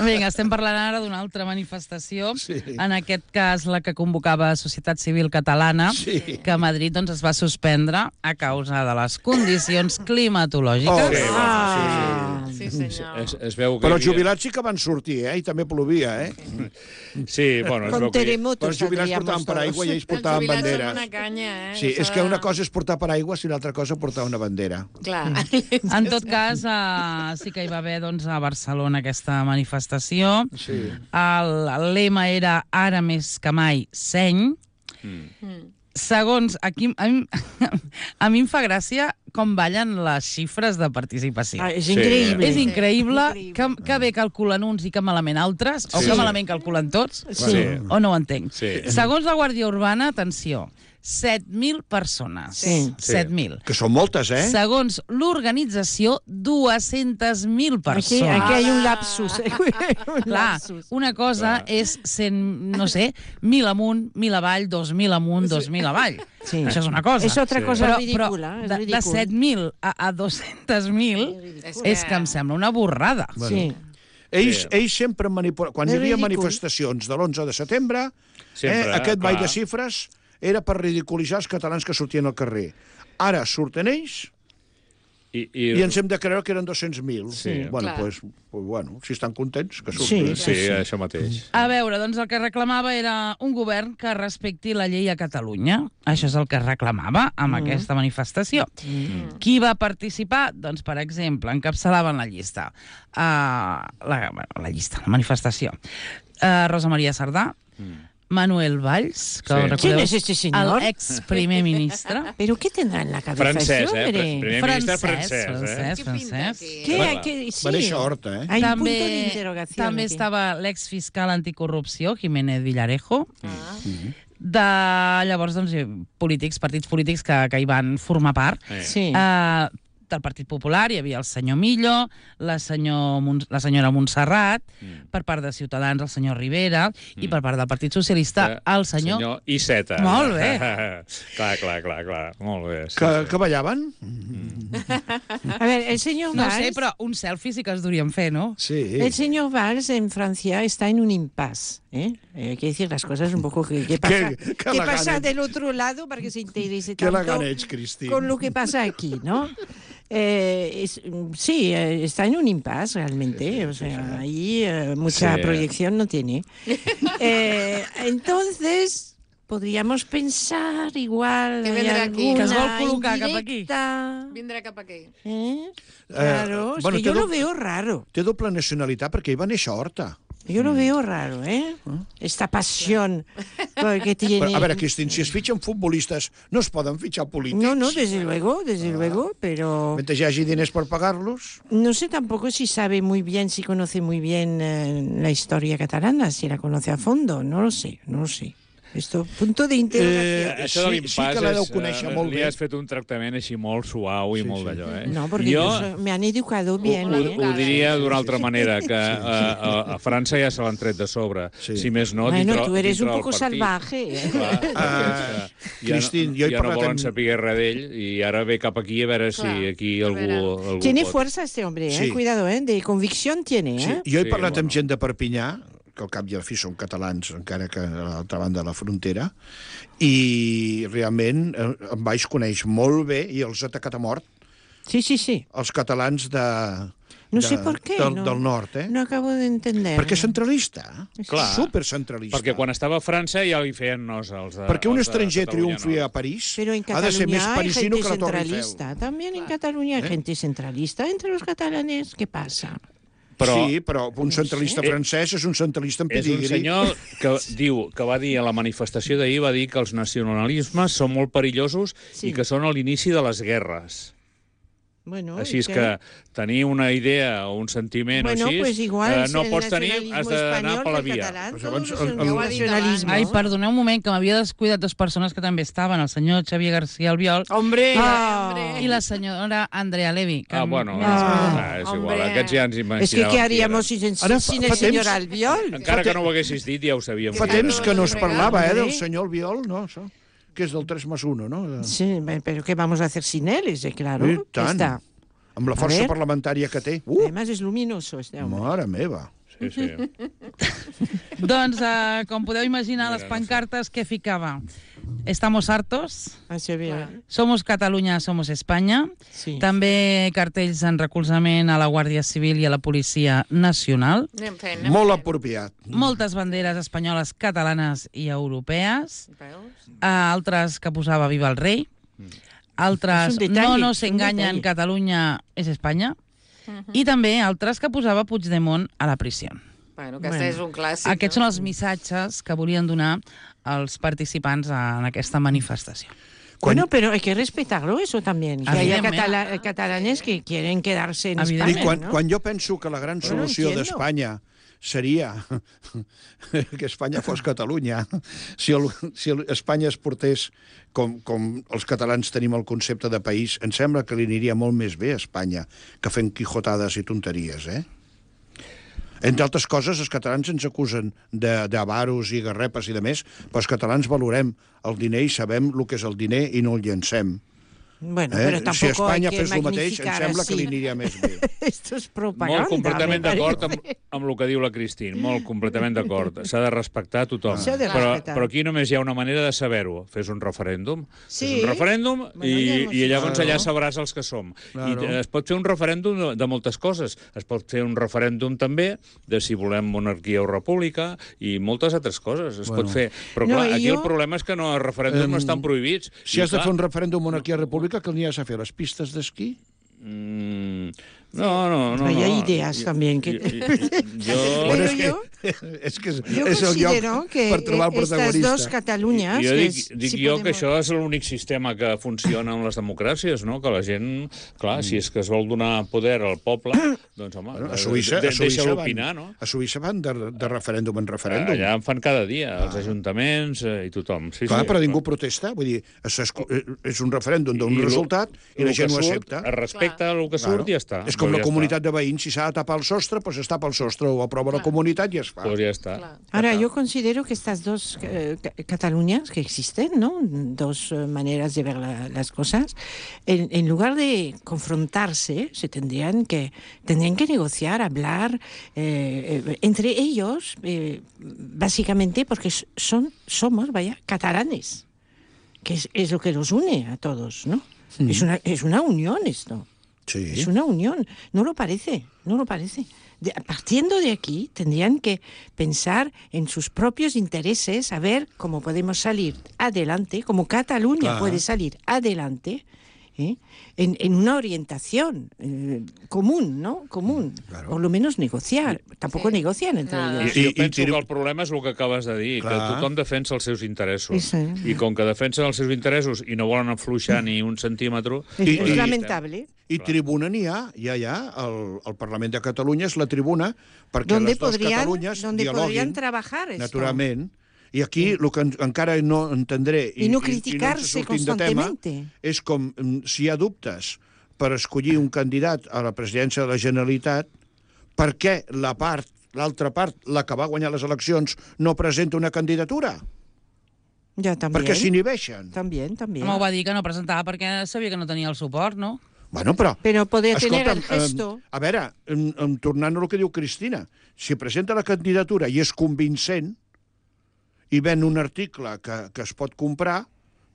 Vinga, estem parlant ara d'una altra manifestació, Sí. en aquest cas la que convocava Societat Civil Catalana, Sí. que a Madrid doncs, es va suspendre a causa de les condicions climatològiques. Oh, Sí, Ah. Sí, senyor. Es, es veu que Però hi els havia- jubilats sí que van sortir, eh? I també plovia, eh? Sí, bueno, es Con veu que... terremotos Però els jubilats saldríamos portaven paraigua i ells Els portaven jubilats són banderes. una canya, eh? Sí, és Això que de- una cosa és portar paraigua i l'altra cosa portar una bandera. Clar. En tot cas, eh, sí que hi va haver doncs, a Barcelona aquesta manifestació. Sí. El, el lema era ara més que mai seny. Mm. Segons, aquí, a mi, a mi em fa gràcia com ballen les xifres de participació. Ah, és Sí. increïble. És increïble Increïble. que, que bé calculen uns i que malament altres, o Sí. que malament calculen tots, Sí. o no ho entenc. Sí. Segons la Guàrdia Urbana, atenció, set mil persones. Sí. set mil. Que són moltes, eh? Segons l'organització, dues-centes mil Aquí, persones. aquí hay un lapsus. eh? un Clar, lapsus. una cosa és cent, no sé, mil amunt, mil avall, dos mil amunt, dos mil avall. Sí. Això és una cosa. És otra Sí. cosa però, ridícula. però és de, de ridícul. set mil a, a dos-centes mil És és que em sembla una borrada. Sí. Ells, Sí. ells sempre manipulen... Quan És hi havia ridícul. manifestacions de l'onze de setembre, Sempre, eh, aquest ball clar. de xifres era per ridiculitzar els catalans que sortien al carrer. Ara surten ells I, i, i ens hem de creure que eren dos-cents mil. Sí. Bueno, Clar. pues, pues, bueno, si estan contents, que Sí. surtin. Sí, això mateix. A veure, doncs el que reclamava era un govern que respecti la llei a Catalunya. Això és el que reclamava amb mm. aquesta manifestació. Mm. Qui va participar? Doncs, per exemple, encapçalaven la llista. Uh, la, bueno, la llista, la manifestació. Uh, Rosa Maria Sardà, mm. Manuel Valls, que Sí. recordeu, ¿Quién es este señor? el ex primer ministre. ¿Pero qué tendrá en la cabeza Francès, ese eh? hombre? Primer ministre francès, eh? francès, Què pinta francès. aquí? ¿Qué? Bueno, ¿Qué? Sí. Va néixer a Horta, eh? Hay un punto de També, interrogación també aquí. estava l'exfiscal anticorrupció, Jiménez Villarejo. Ah. De llavors, doncs, polítics, partits polítics que, que hi van formar part. Eh. Sí. Uh, del Partit Popular hi havia el senyor Millo, la, senyor Mon la senyora Montserrat, mm. per part de Ciutadans el senyor Rivera, mm. i per part del Partit Socialista el senyor... Senyor Iceta. Molt bé. clar, clar, clar, clar. Molt bé. Sí, Que, sí. que ballaven? A ver, el señor No Valls... sé, però un selfie sí que es durien fer, no? Sí. El señor Valls en Francia está en un impasse. ¿eh? Eh, hay que decir las cosas un poco que, que pasa, Qué- qué que elegant pasa ets. del otro lado para que se interese Que tanto elegant ets, Cristín. con lo que pasa aquí, ¿no? Eh, es- sí, eh, está en un impasse realmente, o sea, ahí eh, mucha Sí. proyección no tiene. Eh, entonces, podríamos pensar igual... Que hay vendrá aquí. alguna Que es vol col·locar cap aquí. indirecta, Vindrà cap aquí. ¿eh? Claro, es bueno, que yo té lo do- veo raro. Té doble nacionalitat perquè ell va néixer a Horta. Yo lo veo raro, ¿eh? Esta pasión que tiene... Però, a veure, Cristín, si es fitxen futbolistes, no es poden fitxar polítics. No, no, desde luego, desde luego, pero Mentre hi hagi diners per pagar-los... no sé tampoco si sabe muy bien, si conoce muy bien eh, la historia catalana, si la conoce a fondo, no lo sé, no lo sé. Esto, punto de interrogación. Eh, Això de sí- l'impàs sí que la deu és, conèixer eh, molt li bé. has fet un tractament així molt suau i Sí, molt sí. d'allò, eh? No, porque jo yo so- me han educado bien, ho, ¿eh? ho diria d'una altra manera, que a, a, a França ja se l'han tret de sobre. Sí. Si més no, Bueno, dintre, tú eres un dintre del poco partit. salvaje. ¿eh? Clar, perquè és que ja, Cristín, no, jo he ja no parlat volen amb- saber res d'ell i ara ve cap aquí a veure si Clar, aquí a algú, veure. algú Tiene pot. fuerza este hombre, ¿eh? Sí. Cuidado, ¿eh? De convicción tiene, Sí, ¿eh? jo he Sí, parlat amb bueno. gent de Perpinyà, que al cap i a la fi són catalans, encara que a l'altra banda de la frontera, i realment eh, en Valls coneix molt bé i els ha atacat a mort, Sí, sí, sí. els catalans de, No de, sé por qué. del, no, del nord, eh? No acabo de entender. Perquè és centralista, Clar. supercentralista. Perquè quan estava a França ja li feien nos als de, Perquè un als de estranger Catalunya triomfi Nord. a París Pero en ha de ser més Cataluña hay parisino gente que la Torre Eiffel. centralista. También en Cataluña hay gente centralista. Entre los catalanes, ¿qué pasa? Però Sí, però un centralista sé. francès és un centralista en és un pedigrí. senyor que diu que va dir a la manifestació d'ahir, va dir que els nacionalismes són molt perillosos Sí. i que són a l'inici de les guerres. Bueno, Així ¿y és qué? que tenir una idea o un sentiment Bueno, o així, pues igual eh, es no el pots tenir, has nacionalismo d'anar español per la que el via. catalán, Pues todos abans son el- el- el Ja ho ha dit nacionalismo. Ai, perdoneu un moment, que m'havia descuidat dues persones que també estaven, el senyor Xavier García Albiol Hombre, Ah. hombre. i la senyora Andrea Levy. Que Ah, bueno, m'he ah, descuidat. és igual, Hombre. aquests ja ens Es que, imaginàvem. ¿qué haríamos qui sin, sin, Ara fa- sin el fa señor temps- Albiol? eren. Encara que no ho haguessis dit, ja ho sabíem. Fa Que temps no que no es nos parlava, eh, regalen, del eh? senyor Albiol, no, això? Que és del tres més un, no? Sí, pero ¿qué vamos a hacer sin él? Ese, claro. I tant. Está. amb la A força ver. parlamentària que té. Uh, Además es luminoso este hombre. mare meva. Sí, sí. Doncs, eh, com podeu imaginar, les pancartes que ficava. Estamos hartos, Así bien. somos Catalunya, somos Espanya. Sí. També cartells en recolzament a la Guàrdia Civil i a la Policia Nacional. Anem fent, anem Molt fent. apropiat. Moltes banderes espanyoles, catalanes i europees. Veus? Uh, altres que posava Viva el rei. Altres És un detall, No nos és un enganyen, detall. Catalunya és Espanya. I també altres que posava Puigdemont a la prisió. Bueno, que aquest Bueno. és un clàssic. Aquests no? són els missatges que volien donar els participants en aquesta manifestació. Bueno, pero hay que respetarlo eso también. Que haya Evidentment. catala- catalanes que quieren quedarse en Evidentment. I España, quan, ¿no? quan jo penso que la gran Bueno, solució entiendo. d'Espanya seria que Espanya fos Catalunya, si, el, si el, Espanya es portés com, com els catalans tenim el concepte de país, em sembla que li aniria molt més bé a Espanya que fent quijotades i tonteries, eh? Entre altres coses, els catalans ens acusen de- d'avaros i garrepes i de més, però els catalans valorem el diner i sabem el que és el diner i no el llancem. Bueno, Eh? pero Si tampoco Espanya hay que fes el mateix, em magnificar sembla que li así. aniria més bé. Esto es propaganda. Molt completament me d'acord amb, parece. amb el que diu la Cristín, molt completament d'acord. S'ha de respectar a tothom. S'ha de però, respectar. però aquí només hi ha una manera de saber-ho. Fes un referèndum. Sí. Fes un referèndum Bueno, i, ja hemos i llavors hecho. allà sabràs els que som. Claro. I eh, es pot fer un referèndum de, de moltes coses. Es pot fer un referèndum també de si volem monarquia o república i moltes altres coses. Es Bueno. pot fer. Però No, clar, i aquí jo- el problema és que no, els referèndums Em, no estan prohibits. Si I, has de clar, fer un referèndum monarquia-república, què n'hi has de fer? Les pistes d'esquí? Mm, no, no, no. Pero hay no. ideas también que- Jo, jo, Pero és que, yo- és que és, Yo és el lloc considero que per trobar el eh, estas protagonista. dos Cataluñas... jo que dic, es- dic si jo que podemos- això és l'únic sistema que funciona en les democràcies, no? Que la gent, clar, si és que es vol donar poder al poble, doncs, home, Bueno, a Suïssa, de, a Suïssa deixa-lo van, opinar, no? a Suïssa van de, de referèndum en referèndum. Allà en fan cada dia, els ajuntaments eh, i tothom. Sí, Clar, sí, però ningú protesta. Vull dir, és, és un referèndum d'un I lo- resultat i la lo gent que ho surt, accepta. Es respecta el que surt i ja està. És com Doncs la ja comunitat de veïns. Si s'ha de tapar el sostre, doncs es tapa el sostre, ho aprova la comunitat i es fa. Està. Doncs ja està. Clar. Ahora, yo considero que estas dos eh, ca- Cataluñas que existen, ¿no? Dos eh, maneras de ver la- las cosas, en, en lugar de confrontarse, se tendrían que, tendrían que negociar, hablar eh, eh, entre ellos, eh, básicamente porque s- son, somos, vaya, catalanes, que es, es lo que los une a todos, ¿no? Es una, es una unión esto. Sí. Es una unión, no lo parece, no lo parece. De- partiendo de aquí, tendrían que pensar en sus propios intereses, a ver cómo podemos salir adelante, como Cataluña Ah. puede salir adelante, ¿eh? en, en una orientación eh, común, ¿no? Común. Claro. Por lo menos negociar. Tampoco Sí. negocian entre Nada. ellos. I, I- jo i penso tiro- que el problema és el que acabes de dir, Clar. que tothom defensa els seus interessos. Sí, sí. I com que defensen els seus interessos i no volen afluixar ni un centímetre... Es, I- es i- lamentable. I tribuna n'hi ha, ja hi ha, el, el Parlament de Catalunya és la tribuna perquè Donde les dues podrían, Catalunyes donde podrían dialoguin, trabajar esto. naturalment. I aquí el que en, encara no entendré I no i, criticar-se i no ens sortim de tema, constantemente. és com mm, si hi ha dubtes per escollir un candidat a la presidència de la Generalitat, per què la part, l'altra part, la que va guanyar les eleccions, no presenta una candidatura? Ya también. Perquè s'inhibeixen. También, también. Home, ho va dir que no presentava perquè sabia que no tenia el suport, no? Bueno, però... Pero poder tener el Escolta'm, gesto. eh, a veure, em, em, tornant a el que diu Cristina, si presenta la candidatura i és convincent i ven un article que, que es pot comprar,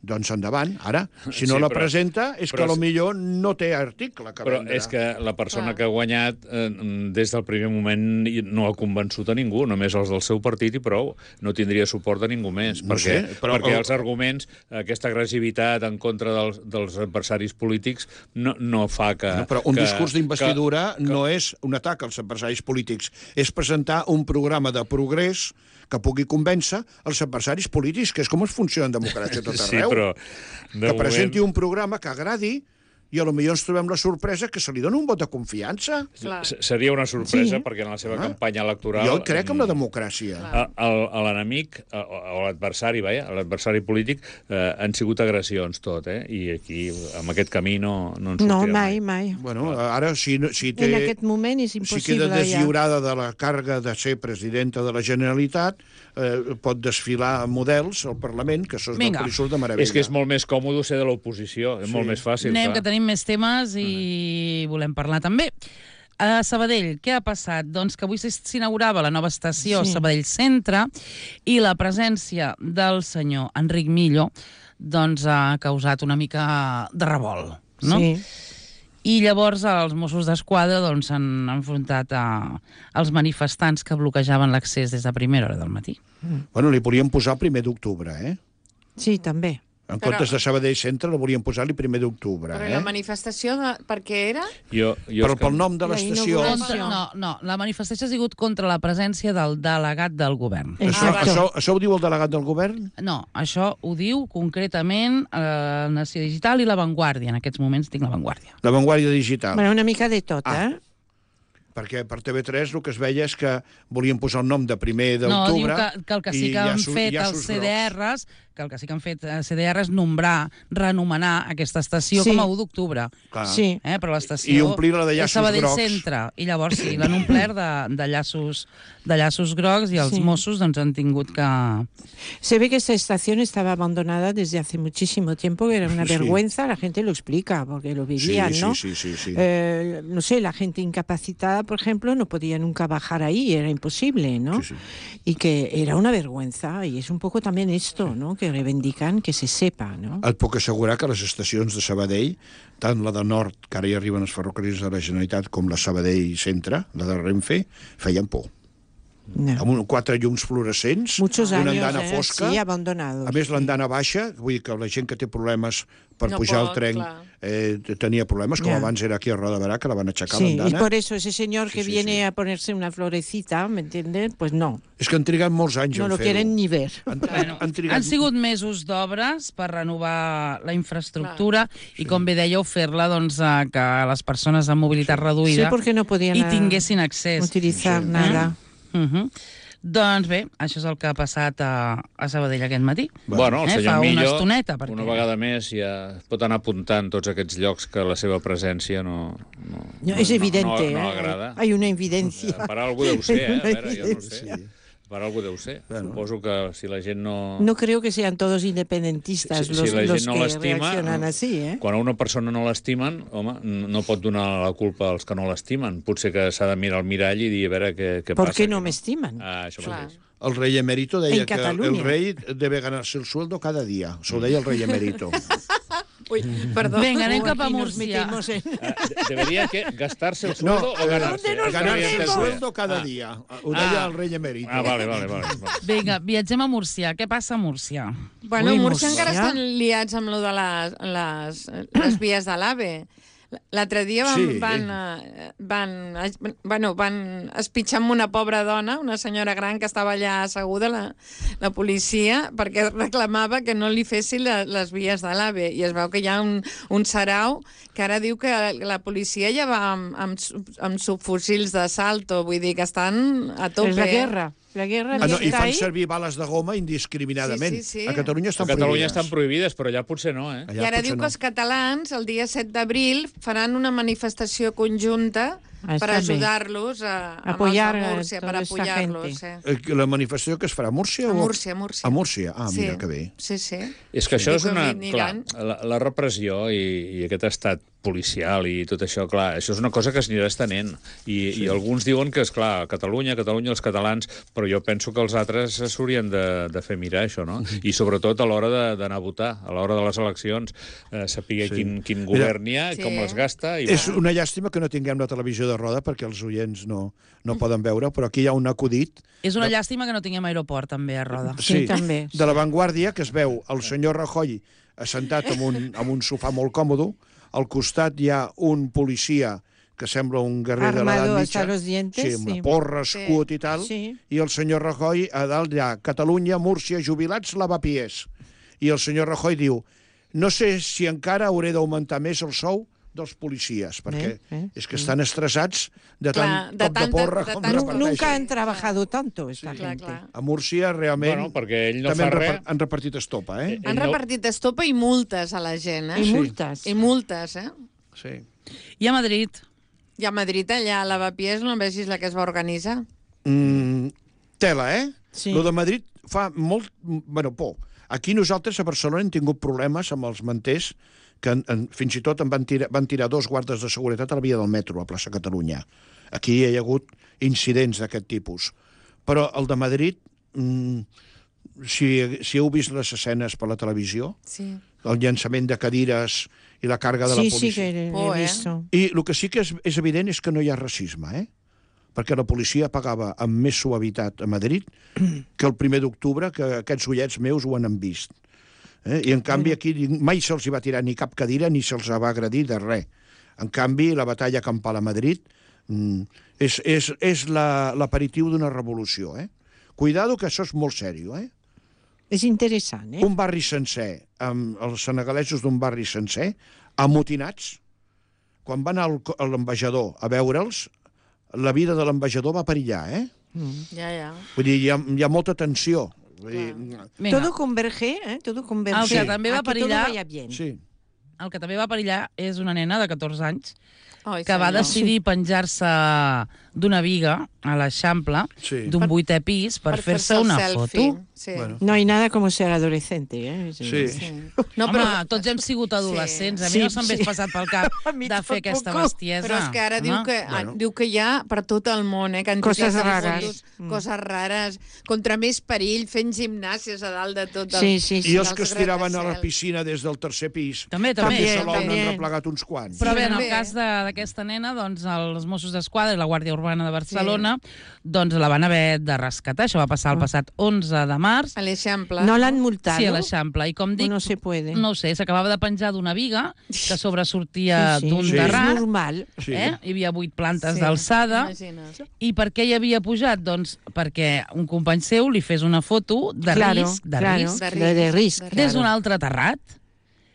doncs endavant. Ara, si no Sí, la però- presenta, és però que si- millor no té article que Però vendre. és que la persona Clar. que ha guanyat eh, des del primer moment no ha convençut a ningú, només els del seu partit i prou. No tindria suport de ningú més, No perquè, sé, però perquè el- els arguments, aquesta agressivitat en contra dels, dels adversaris polítics no, no fa que... No, però un que, discurs d'investidura no és un atac als adversaris polítics, és presentar un programa de progrés que pugui convèncer els adversaris polítics, que és com es funciona en democràcia a tot Sí, arreu. però... de Que presenti moment- un programa que agradi i a lo millor ens trobem la sorpresa que se li dona un vot de confiança. Clar. S- Seria una sorpresa, Sí. perquè en la seva Ah. campanya electoral... Jo crec en la mm, democràcia. Clar. a- el- a l'enemic, a- o l'adversari, vaja, l'adversari polític, eh, han sigut agressions tot, eh? I aquí, amb aquest camí, no, no en No, sortirem mai, mai. Bueno, ara, si, no- si, té, En aquest moment és si impossible. queda ja. deslliurada de la càrrega de ser presidenta de la Generalitat, eh, pot desfilar models al Parlament, que això és Vinga. del que li surt de meravella. És que és molt més còmode ser de l'oposició, és Sí. molt més fàcil. Anem, clar. que tenim més temes i volem parlar també. A Sabadell, què ha passat? Doncs que avui s'inaugurava la nova estació Sí. Sabadell Centre i la presència del senyor Enric Millo doncs, ha causat una mica de revolt, no? Sí. I llavors els Mossos d'Esquadra doncs, s'han enfrontat a, als manifestants que bloquejaven l'accés des de primera hora del matí. Bueno, li volíem posar el primer d'octubre, eh? Sí, també. En Però- comptes de Sabadell Centre, la volíem posar-li primer d'octubre, Però eh? la manifestació, de... per què era? Jo, jo Però és que- pel nom de La l'estació... inauguració. Contra, no, no, la manifestació ha sigut contra la presència del delegat del govern. Això, Exacte. això, això ho diu el delegat del govern? No, això ho diu concretament eh, Nació Digital i La Vanguardia. En aquests moments tinc La Vanguardia. La Vanguardia Digital. Bueno, una mica de tot, Ah. eh? Perquè per T V tres el que es veia és que volien posar el nom de primer No, diu d'octubre... que, que el que sí i que hi ha han su- fet hi ha els sus C D grocs. Rs, que el que sí que han fet eh, C D R és nombrar, renomenar aquesta estació Sí. com a u d'octubre. Clar. Sí. Eh, però l'estació I omplir-la de és llaços Sabadell grocs. Centre. I llavors sí, l'han omplert de, de, llaços, de llaços grocs i els Sí. Mossos doncs, han tingut que... Se ve que esta estación estaba abandonada desde hace muchísimo tiempo, que era una Sí. vergüenza, la gente lo explica, porque lo vivían, sí, ¿no? sí, sí, sí, sí. Eh, no sé, la gente incapacitada, por ejemplo, no podía nunca bajar ahí, era imposible, ¿no? Sí, sí. Y que era una vergüenza, y es un poco también esto, ¿no? Que reivindican que se sepa, ¿no? Et puc assegurar que les estacions de Sabadell, tant la de Nord, que ara hi arriben els ferrocarrils de la Generalitat, com la Sabadell Centre, la de Renfe, feien por. No. Amb un, quatre llums fluorescents, Muchos una años, andana eh, fosca, sí, abandonados. a més l'andana baixa, vull dir que la gent que té problemes per No pujar pot, al tren clar. eh, tenia problemes, com Ja. abans era aquí a Roda Barà, que la van aixecar Sí, y l'andana. por eso ese señor Sí, que sí, viene sí. a ponerse una florecita, ¿me entiendes? Pues no, És que han trigat molts anys no en lo fer-ho. quieren ni ver. Han, Bueno, han trigat... han sigut mesos d'obres per renovar la infraestructura i, com bé dèieu, fer-la doncs, a que les persones amb mobilitat Sí, reduïda porque no podían hi ah, tinguessin accés. utilizar Sí. nada. Uh -huh. Doncs bé, això és el que ha passat a, a Sabadell aquest matí. Bueno, el Eh, senyor fa una Millo, estoneta, perquè- una vegada més, ja pot anar apuntant tots aquests llocs que la seva presència no... no, No, es evidente, no, no ¿eh? agrada. Hay una evidencia. Per algú deu ser, eh? A Una veure, jo no ho evidencia. sé. Per algú deu ser. Bueno. Suposo que si la gent no... No creo que sean todos independentistas Si- si los, la los gent no que l'estima, reaccionan así, ¿eh? Quan a una persona no l'estimen, home, no pot donar la culpa als que no l'estimen. Potser que s'ha de mirar al mirall i dir a veure què, què ¿Por passa. qué no aquí, me estiman? Ah, això Clar. mateix. El rey emérito deia En que el Cataluña. rei debe ganarse el sueldo cada dia. S'ho deia el rei emérito. Ui, perdó. Vinga, anem Oh, cap a aquí nos Múrcia. metemos en- Ah, de- debería que gastarse el sueldo o eh, ganarse. ¿dónde nos És que no havia ganarse el entès bé. sueldo cada dia. Ho deia Ah. el rei emérito. Ah, vale, vale, vale. vale. Vinga, viatgem a Múrcia. Què passa a Múrcia? Bueno, Ui, a Múrcia Múrcia. encara estan liats amb lo de les, les, les vies de l'AVE. L'altre dia van, Sí. van, eh, van, eh, bueno, van espitxar amb una pobra dona, una senyora gran que estava allà asseguda, la, la policia, perquè reclamava que no li fessin la, les vies de l'AVE. I es veu que hi ha un, un sarau que ara diu que la policia ja va amb, amb, sub- amb subfusils d'assalto, vull dir que estan a tope. Es la guerra. La guerra Ah, no, I está fan ahí. servir bales de goma indiscriminadament. Sí, sí, sí. A Catalunya A estan Catalunya prohibides. estan prohibides, però allà potser no, eh? Allà I ara potser diu no. que els catalans, el dia set d'abril, faran una manifestació conjunta Ah, per està bé. ajudar-los a, amb Apoyar els a de Múrcia, per toda esta apoyar-los. gente. Eh. Eh, La manifestació que es farà a Múrcia? A o- Múrcia, a Múrcia. A Múrcia? Ah, mira, Sí. que bé. Sí, sí. És que això I és una... que Clar, aniran. la, la repressió i, i aquest estat policial i tot això, clar, això és una cosa que s'anirà estenent. I, sí. I alguns diuen que, és clar, Catalunya, Catalunya, els catalans, però jo penso que els altres s'haurien de, de fer mirar això, no? I sobretot a l'hora de- d'anar a votar, a l'hora de les eleccions, eh, saber Sí. quin, quin govern hi ha, Sí. com les gasta... I, És una llàstima que no tinguem la televisió de roda perquè els oients no, no poden veure, però aquí hi ha un acudit És una llàstima que no tinguem aeroport, també, a Roda. Sí, també. de La Vanguardia, que es veu el senyor Rajoy assentat en un, en un sofà molt còmode, al costat hi ha un policia que sembla un guerrer de l'edat Armado mitja, hasta los dientes, sí, amb sí. la porra, escut i tal, Sí. i el senyor Rajoy a dalt hi ha Catalunya, Múrcia, jubilats, lavapiés. I el senyor Rajoy diu, no sé si encara hauré d'augmentar més el sou dels policies, perquè Eh, eh, és que estan estressats de Clar, tant de cop de tanta- porra de com tant- Nu- reparteixen. Nunca han trabajado tanto esta Clar, gente. clar. A Múrcia, realment, Bueno, perquè ell no també fa han, res. repar- han repartit estopa, eh? Eh, Han no- repartit estopa i multes a la gent, eh? Y Sí. multas. I multes, eh? Sí. I a Madrid? I a Madrid, allà a Lavapiés, no vegis la que es va organitzar. Mm, tela, eh? Sí. Lo de Madrid fa molt... Bueno, por. Aquí nosaltres a Barcelona hem tingut problemes amb els manters que en, en, fins i tot en van tirar, van tirar dos guardes de seguretat a la via del metro, a plaça Catalunya. Aquí hi ha hagut incidents d'aquest tipus. Però el de Madrid, mmm, si, si heu vist les escenes per la televisió, Sí. el llançament de cadires i la càrrega de Sí, la sí, policia... que Oh, he eh? visto. I el que sí que és, és evident és que no hi ha racisme, eh? Perquè la policia pagava amb més suavitat a Madrid que el primer d'octubre, que aquests ullets meus ho han vist. Eh? I en canvi aquí mai se'ls va tirar ni cap cadira ni se'ls va agredir de res. En canvi, la batalla campal a Madrid mm, és, és, és l'aperitiu la, d'una revolució. Eh? Cuidado, que això és molt sèrio, eh? És interessant, eh? Un barri sencer, amb els senegalesos d'un barri sencer, amotinats, quan van al, a l'ambaixador a veure'ls, la vida de l'ambaixador va perillar, eh? Ja, ja. Vull dir, hi ha, hi ha molta tensió. Vull dir, Vinga, Todo converge, eh? Todo converge. El que també va a que perillar- todo vaya bien. sí. el que també va perillar és una nena de catorze anys Ai, que va senyor. decidir penjar-se d'una viga a l'Eixample Sí. d'un vuitè pis per, fer-se el una selfie. foto. Sí. Bueno. No hay nada como ser adolescente, eh? Sí. Sí. No, No, Home, però, tots hem sigut adolescents. A mi Sí, no se'm sí. hagués passat pel cap A mi de fer aquesta tampoc. bestiesa. però és que ara diu Home. que, Bueno. diu que hi ha per tot el món, eh? Que Coses de rares. fotos, Mm. coses rares, contra més perill, fent gimnàsies a dalt de tot. El... Sí, sí, sí. I els que es Els tiraven a la gratacels. piscina des del tercer pis. També, també. També, També, Salou també. n'han replegat uns quants. Però bé, en el també. cas de- d'aquesta nena, doncs, els Mossos d'Esquadra i la Guàrdia Urbana de Barcelona doncs, la van haver de rescatar. Això va passar el passat onze de març. A l'Eixample. No l'han multado. Sí, a l'Eixample. I com dic, No se puede. no ho sé, s'acabava de penjar d'una viga que sobresortia Sí, sí, d'un sí. terrat. És normal. Sí. Eh? Hi havia vuit plantes Sí, d'alçada. imagina't. I per què hi havia pujat? Doncs perquè un company seu li fes una foto de claro, risc, de claro, risc, De de, de risc. de- des d'un claro. altre terrat.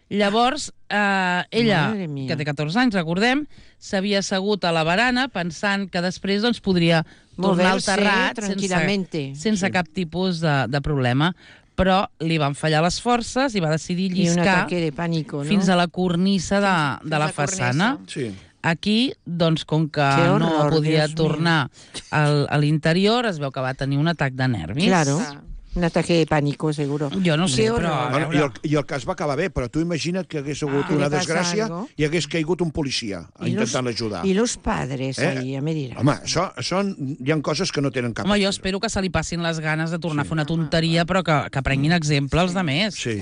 Llavors, eh, ella, Madre mía. que té catorze anys, recordem, s'havia assegut a la barana pensant que després doncs, podria tornar al Moverse terrat tranquil·lamente. sense, sense Sí. cap tipus de, de problema. Però li van fallar les forces i va decidir Y un lliscar ataque de pánico, ¿no? fins a la cornissa de, Fins- de la fins a la façana. cornissa. Sí. Aquí, doncs, com que Que horror, no podia Dios mío. tornar al, a l'interior, es veu que va tenir un atac de nervis. Claro. Clar. Un ataque de pánico, seguro. Jo no sé, Qué però... a horror. Bueno, veure, i, el, I el cas va acabar bé, però tu imagina't que hagués hagut Ah, una li passa desgràcia algo. i hagués caigut un policia Y los- intentant ajudar. Y los padres Eh? ahí, a medida. Home, això, són, hi ha coses que no tenen cap... Home, jo espero que se li passin les ganes de tornar a fer una tonteria, però que, que prenguin exemple els de més. Sí.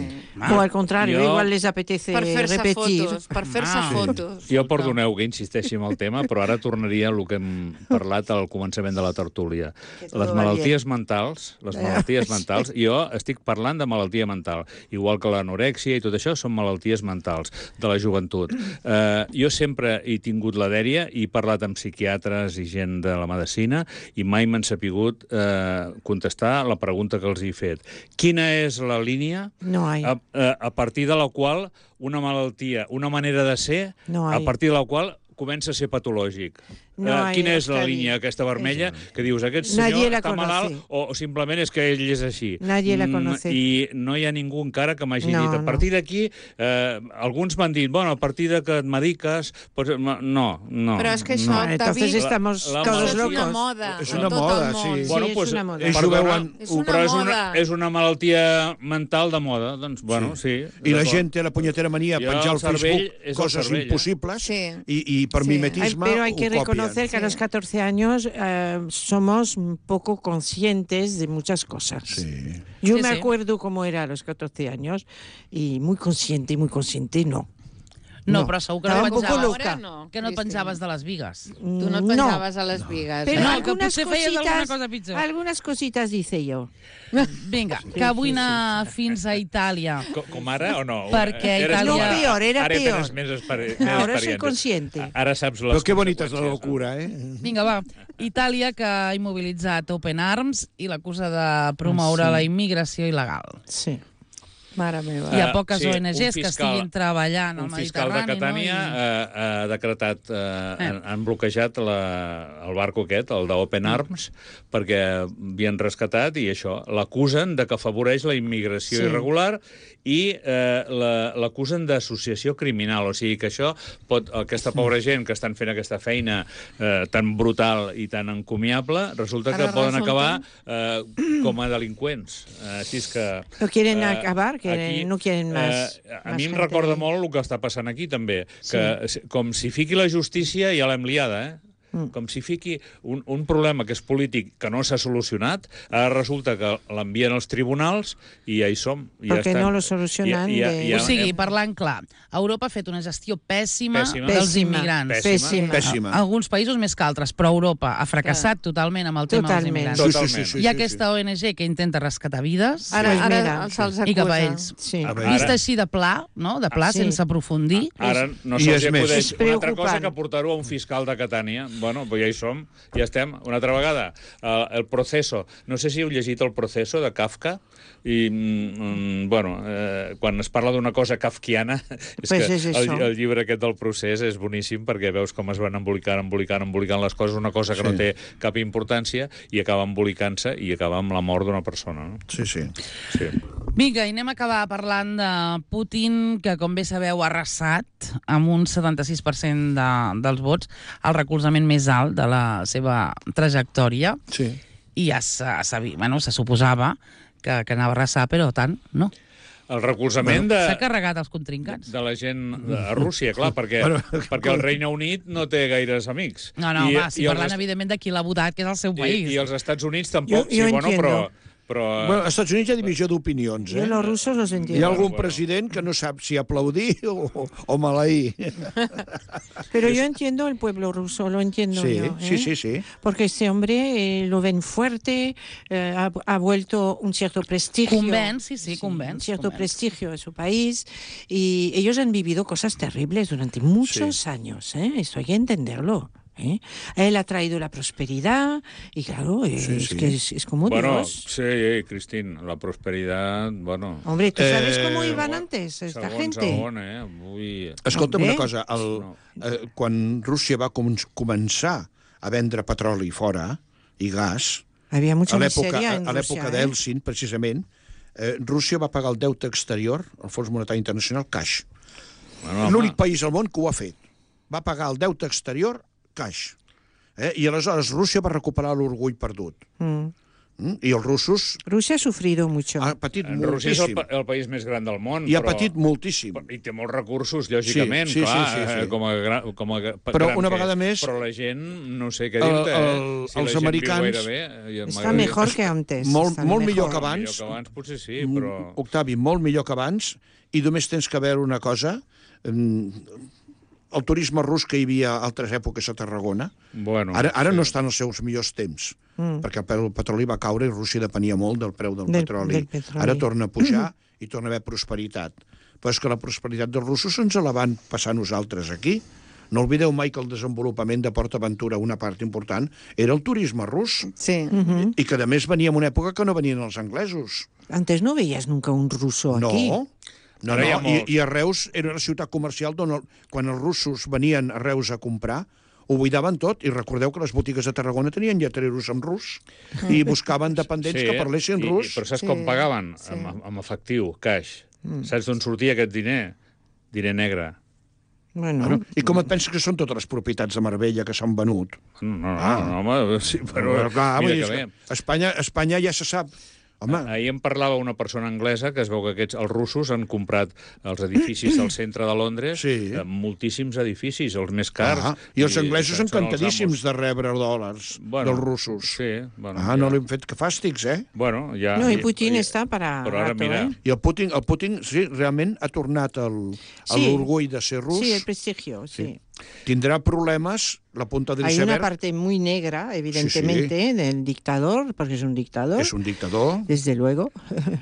O al contrario, Yo- igual les apetece Per fer-se repetir. fotos, per fer-se Ah. fotos. Jo perdoneu que insisteixi en el tema, però ara tornaria a el que hem parlat al començament de la tertúlia. Que todo Les va malalties mentals, les malalties mentals, jo estic parlant de malaltia mental, igual que l'anorèxia i tot això són malalties mentals de la joventut. Eh, jo sempre he tingut la dèria i he parlat amb psiquiatres i gent de la medicina i mai m'han sapigut eh, contestar la pregunta que els he fet. Quina és la línia No hay. a, a, a partir de la qual una malaltia, una manera de ser, No a hay. partir de la qual comença a ser patològic. No Eh, hay, quina és la Oscar, línia aquesta vermella que dius aquest Nadie senyor la està conoce. malalt o, o simplement és que ell és així? Nadie la Mm, conoce. I no hi ha ningú encara que m'hagi No, dit a no. partir d'aquí, eh, alguns m'han dit, bueno, a partir de que et mediques... Pues, no, no. Però és que això, no. Bueno, entonces David, estamos La- la todos és malaltia- una locos. moda. És en una tot moda, el món. sí. Bueno, Sí, pues, és una moda. ells ho perdona, veuen- És una però és una, moda. és una malaltia mental de moda. Doncs, bueno, sí. I la d'acord. gent té la punyetera mania a Jo, penjar al el cervell Facebook és el coses cervell, eh? impossibles Sí. i, i per Sí. mimetisme Ay, pero hay ho que copien. reconocer que a Sí. los catorce años eh, somos un poco conscientes de muchas cosas. Sí. Yo Sí, me sí. acuerdo cómo era a los catorce años y muy consciente y muy consciente no. No, No. però segur que Estava no un poco penjaves, loca. No, que no et Cristina. penjaves de les vigues. Tu no et penjaves a les vigues. Pero eh? No, que algunas potser feies alguna cositas, cosa pitjor. algunas cositas dice yo. Vinga, que vull anar fins a Itàlia. Com, com ara o no? Perquè Eres- Itàlia- No, peor, era ara peor. tens més, exper més Ahora soy experiència. consciente. Ara saps les Però que bonita és la conseqüències, locura, eh? Vinga, va. Itàlia, que ha immobilitzat Open Arms i l'acusa de promoure Ah, sí. la immigració il·legal. Sí. Mare meva. Hi ha Eh, poques sí, O un N Ges que fiscal- estiguin treballant al Un fiscal de Mediterrani. Catània no? I... eh, ha decretat, eh, Eh. han, han bloquejat la, el barco aquest, el d'Open Arms, perquè havien rescatat i això, l'acusen de que afavoreix la immigració Sí. irregular i eh, la- l'acusen d'associació criminal. O sigui que això pot, aquesta pobra gent que estan fent aquesta feina eh, tan brutal i tan encomiable, resulta que Ara poden resulta- acabar eh, com a delinqüents. Eh, així és que... ¿Lo quieren Eh, acabar? eh, quieren, aquí, no quieren más. Eh, a más mi em gente. recorda molt el que està passant aquí, també, que sí. com si fiqui la justícia ja l'hem liada, eh? Mm. Com si fiqui un, un problema que és polític que no s'ha solucionat, ara resulta que l'envien als tribunals i ja hi som. I Perquè ja no lo solucionen. Ja, ja, de... ja, o sigui, parlant clar, Europa ha fet una gestió pèssima, pèssima. dels Pèssima. immigrants. Pèssima. Pèssima. Alguns països més que altres, però Europa ha fracassat Clar. totalment amb el tema Totalment. dels immigrants. Totalment. Sí, sí, sí, Hi ha aquesta O N G que intenta rescatar vides Ara, Pues ara mira, se'ls i cap a acusa. ells. Sí. A veure. Vist així de pla, no? de pla, Ah, sí. sense aprofundir. Ara no I se'ls és més. acudeix És una altra cosa preocupant. que portar-ho a un fiscal de Catània. Bueno, pues ja hi som, ja estem. Una altra vegada, uh, el Proceso. No sé si heu llegit el Proceso de Kafka, i, mm, bueno, eh, quan es parla d'una cosa kafkiana, és Pues que és el, això. el llibre aquest del procés és boníssim, perquè veus com es van embolicant, embolicant, embolicant les coses, una cosa que Sí. no té cap importància, i acaba embolicant-se i acaba amb la mort d'una persona. No? Sí, sí. Sí. Vinga, i anem a acabar parlant de Putin, que, com bé sabeu, ha arrasat amb un setanta-sis per cent de, dels vots, el recolzament més alt de la seva trajectòria. Sí. I ja se, se, bueno, se suposava que, que anava a arrasar, però tant, no. El recolzament de... S'ha carregat els contrincants. de la gent a Rússia, clar, perquè, Bueno, perquè el Regne Unit no té gaires amics. No, no, I, home, si i parlant, els, evidentment, de qui l'ha votat, que és el seu i, país. I els Estats Units tampoc, Jo- jo sí, bueno, entiendo. però... però Bueno, als Estats Units hi ha divisió d'opinions, Yo eh? los rusos los Hi ha entiendo. algun Bueno. president que no sap si aplaudir o, o maleir. Pero yo entiendo el pueblo ruso, lo entiendo Sí, yo. ¿eh? sí, sí, sí. Porque este hombre eh, lo ven fuerte, eh, ha, ha vuelto un cierto prestigio. Convenç, sí, sí, convenç, Un cierto convenç. prestigio a su país. Y ellos han vivido cosas terribles durante muchos años, ¿eh? Esto hay que entenderlo. ¿eh? Él ha traído la prosperidad y claro, eh, Sí, es sí. que es, es como bueno, Dios. sí, Cristín, la prosperidad, bueno... Hombre, ¿tú sabes Eh, cómo iban segon- antes esta segon, gente? Segon, eh? Avui... Escolta'm Bé. una cosa, el, No. eh, quan Rússia va com començar a vendre petroli fora i gas, Había mucha a l'època miseria en a l'època Rusia, ¿eh? d'Eltsin, precisament, eh, Rússia va pagar el deute exterior al Fons Monetari Internacional cash. Bueno, home, L'únic país al món que ho ha fet. Va pagar el deute exterior cash. Eh? I aleshores Rússia va recuperar l'orgull perdut. Mm. Mm? I els russos Rusia ha sufrido mucho. ha patit en Rússia és el, moltíssim. pa- el país més gran del món, I ha però... patit moltíssim. I té molts recursos, lògicament, Sí, sí, clar, sí, sí, sí. eh, com a, gra- com a gra- Però gran una que vegada és. més- Però la gent, no sé què El- dir-te, eh? el- Si els la gent americans- viu gaire bé, i Está m'agradaria- mejor que antes. Molt- están molt millor mejor. que abans. Millor que abans, potser sí, Mm, però... Octavi, molt millor que abans, i només tens que veure una cosa. mm, El turisme rus que hi havia a altres èpoques a Tarragona, Bueno, ara, ara sí. no està en els seus millors temps, Mm. perquè el preu del petroli va caure i Rússia depenia molt del preu del, Del- petroli. del petroli. Ara torna a pujar i torna a haver prosperitat. Però és que la prosperitat dels russos ens la van passar nosaltres aquí. No oblideu mai que el desenvolupament de PortAventura, una part important, era el turisme rus. Sí. Ujú. I que, a més, venia en una època que no venien els anglesos. Antes no veías nunca un ruso No, aquí. no, Ara hi ha no. I, molts. I a Reus era una ciutat comercial on el, quan els russos venien a Reus a comprar, ho buidaven tot, i recordeu que les botigues de Tarragona tenien lletreros en rus i buscaven dependents que parlessin i, rus. I, però saps Sí, com pagaven? sí. Amb, amb efectiu, cash. Mm. Saps d'on sortia aquest diner? Diner negre. Bueno, Bueno, I com et penses que són totes les propietats de Marbella que s'han venut? No, no, Ah. no, home, sí, però... Però, clar, vull mira dir, que és bé. que Espanya, Espanya ja se sap. Home, Ahir em parlava una persona anglesa que es veu que aquests, els russos han comprat els edificis del centre de Londres, Sí. eh, moltíssims edificis, els més cars. ah, i els anglesos són- són els encantadíssims amos. de rebre dòlars Bueno, dels russos. Sí, bueno, Ah, ja. no li han fet que fàstics, eh? Bueno, ja... no, y ja- Putin ja- está para Però ara, rato, mira, ¿eh? I el Putin, el Putin sí, realment ha tornat el- a Sí. l'orgull de ser rus. Sí, el prestigio, sí. Tindrà problemes, la punta del Hay una iceberg. parte muy negra, evidentemente, del dictador, porque es un dictador, És un dictador. desde luego.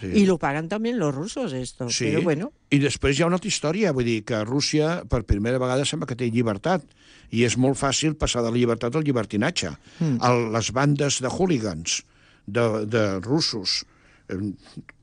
Sí. Y lo pagan también los rusos esto. Sí. Pero bueno, I després hi ha una altra història, vull dir que Rússia per primera vegada sembla que té llibertat, i és molt fàcil passar de la llibertat al llibertinatge. Mm. El, les bandes de hooligans de, de russos eh,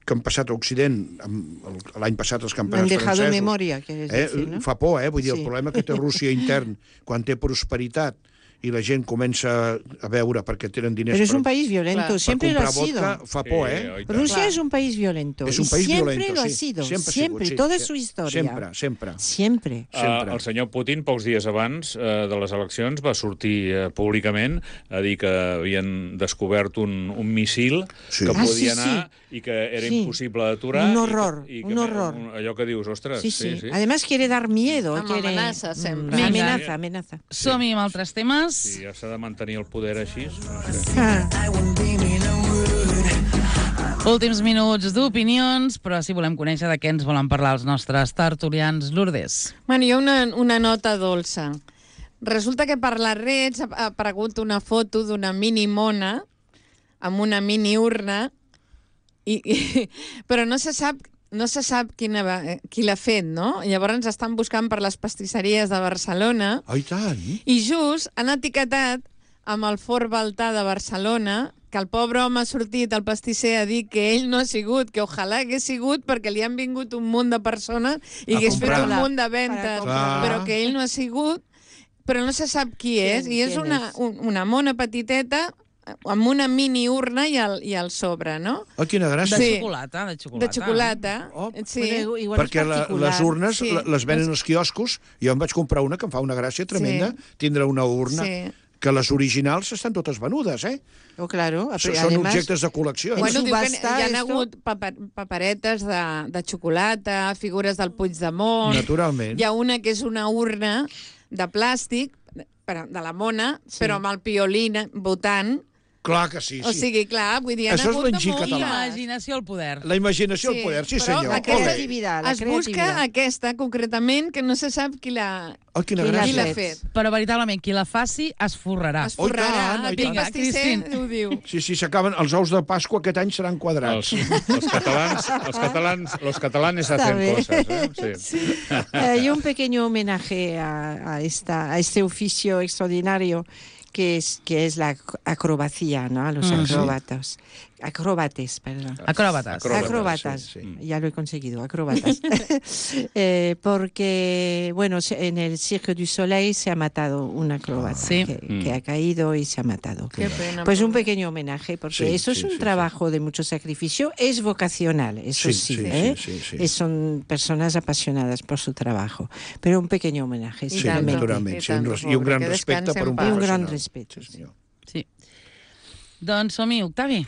que han passat a Occident amb el- l'any passat els me han campionats dejado francesos. memoria, quieres Eh, decir, ¿no? Fa por, eh? Vull dir, Sí. el problema que té Rússia intern quan té prosperitat i la gent comença a veure perquè tenen diners Pero es per, un país violento, Claro. siempre per lo ha comprar sido. vodka, fa por, Sí, eh? oi tant. Rusia Claro. es un país violento. És un y país siempre violento, lo ha sí. sido. Sempre ha Siempre, sigut, sí. toda Sí. su historia. Sempre, sempre. Siempre. Sempre. Uh, el senyor Putin, pocs dies abans uh, de les eleccions, va sortir uh, públicament a dir que havien descobert un, un missil Sí. que Ah, podia sí, anar sí. i que era Sí. impossible d'aturar. Un i que- horror, i que, un horror. Un, allò que dius, ostres, Sí, sí. sí, sí. Además quiere dar miedo. Amb quiere... amenaça, sempre. Mm, Vinga. amenaza, amenaza. Som-hi amb altres temes. Si ja s'ha de mantenir el poder així, no sé. Ah. Últims minuts d'opinions, però si volem conèixer de què ens volen parlar els nostres tertulians. Lourdes. Bueno, hi ha una, una nota dolça. Resulta que per les redes ha ha aparegut una foto d'una mini mona amb una mini urna, i, i, però no se sap no se sap quina, va- qui l'ha fet, no? Llavors estan buscant per les pastisseries de Barcelona Oh, i tant. i just han etiquetat amb el Fort Baltà de Barcelona que el pobre home ha sortit al pastisser a dir que ell no ha sigut, que ojalà hagués sigut perquè li han vingut un munt de persones i A hagués fet comprar. un munt de ventes, Per comprar. però que ell no ha sigut, però no se sap qui és, i és quién una, és? un, una mona petiteta amb una mini urna i al, i al sobre, no? Oh, quina De gràcia. Sí. xocolata, de xocolata. De xocolata. Oh. Sí. Bueno, igual Perquè es la, particular. les urnes Sí. sí. les venen als quioscos. Jo em vaig comprar una que em fa una gràcia tremenda, Sí. tindre una urna. Sí. Que les originals estan totes venudes, eh? Oh, claro. S- Són Además, objectes de col·lecció. En Bueno, diu que subhasta, hi ha esto- hagut paper, paperetes de, de xocolata, figures del Puigdemont. Naturalment. Hi ha una que és una urna de plàstic, però, de la mona, sí. però amb el piolín votant. Clar que sí, O sí. sigui, clar, vull dir, hi ha Això és hagut de l'enginy moltes. català. Imaginació al poder. La imaginació al poder, sí però senyor. aquesta Ole. creativitat, la es busca creativitat. aquesta, concretament, que no se sap qui l'ha Oh, quina Qui l'ha qui gràcia. l'ha fet? fet. Però veritablement, qui la faci es forrarà. Es forrarà. Oh, i tant, oh, i Aquest tant. pastisser Vinga, ho diu. Sí, sí, s'acaben els ous de Pasqua aquest any seran quadrats. Els, els catalans, els catalans, los catalanes Está hacen bien. cosas, ¿eh? Sí. Eh, y un pequeño homenaje a, a, esta, a este oficio extraordinario que es, que es la ac- acrobacia, ¿no? A los Mm, sí. acróbatas. Acróbates, perdón. Acròbates. Acròbates, Acróbatas, sí, sí. ya lo he conseguido, acróbatas. Eh, porque, bueno, se- en el Cirque du Soleil se ha matado un acróbata Sí. que, Mm. que ha caído y se ha matado. Qué pena. Pues un pequeño homenaje, porque Sí, eso es sí, un sí, trabajo de mucho sacrificio, es vocacional, eso Sí, sí, sí, ¿eh? sí, sí, sí. Eh, son personas apasionadas por su trabajo, pero un pequeño homenaje, I Sí, tant, simplemente. naturalment. i Sí, un tant, res- I un pobre, gran que respecte descansi per en un pau. I un gran professional. respeto. Sí, senyor. Sí. Doncs som-hi, Octavi.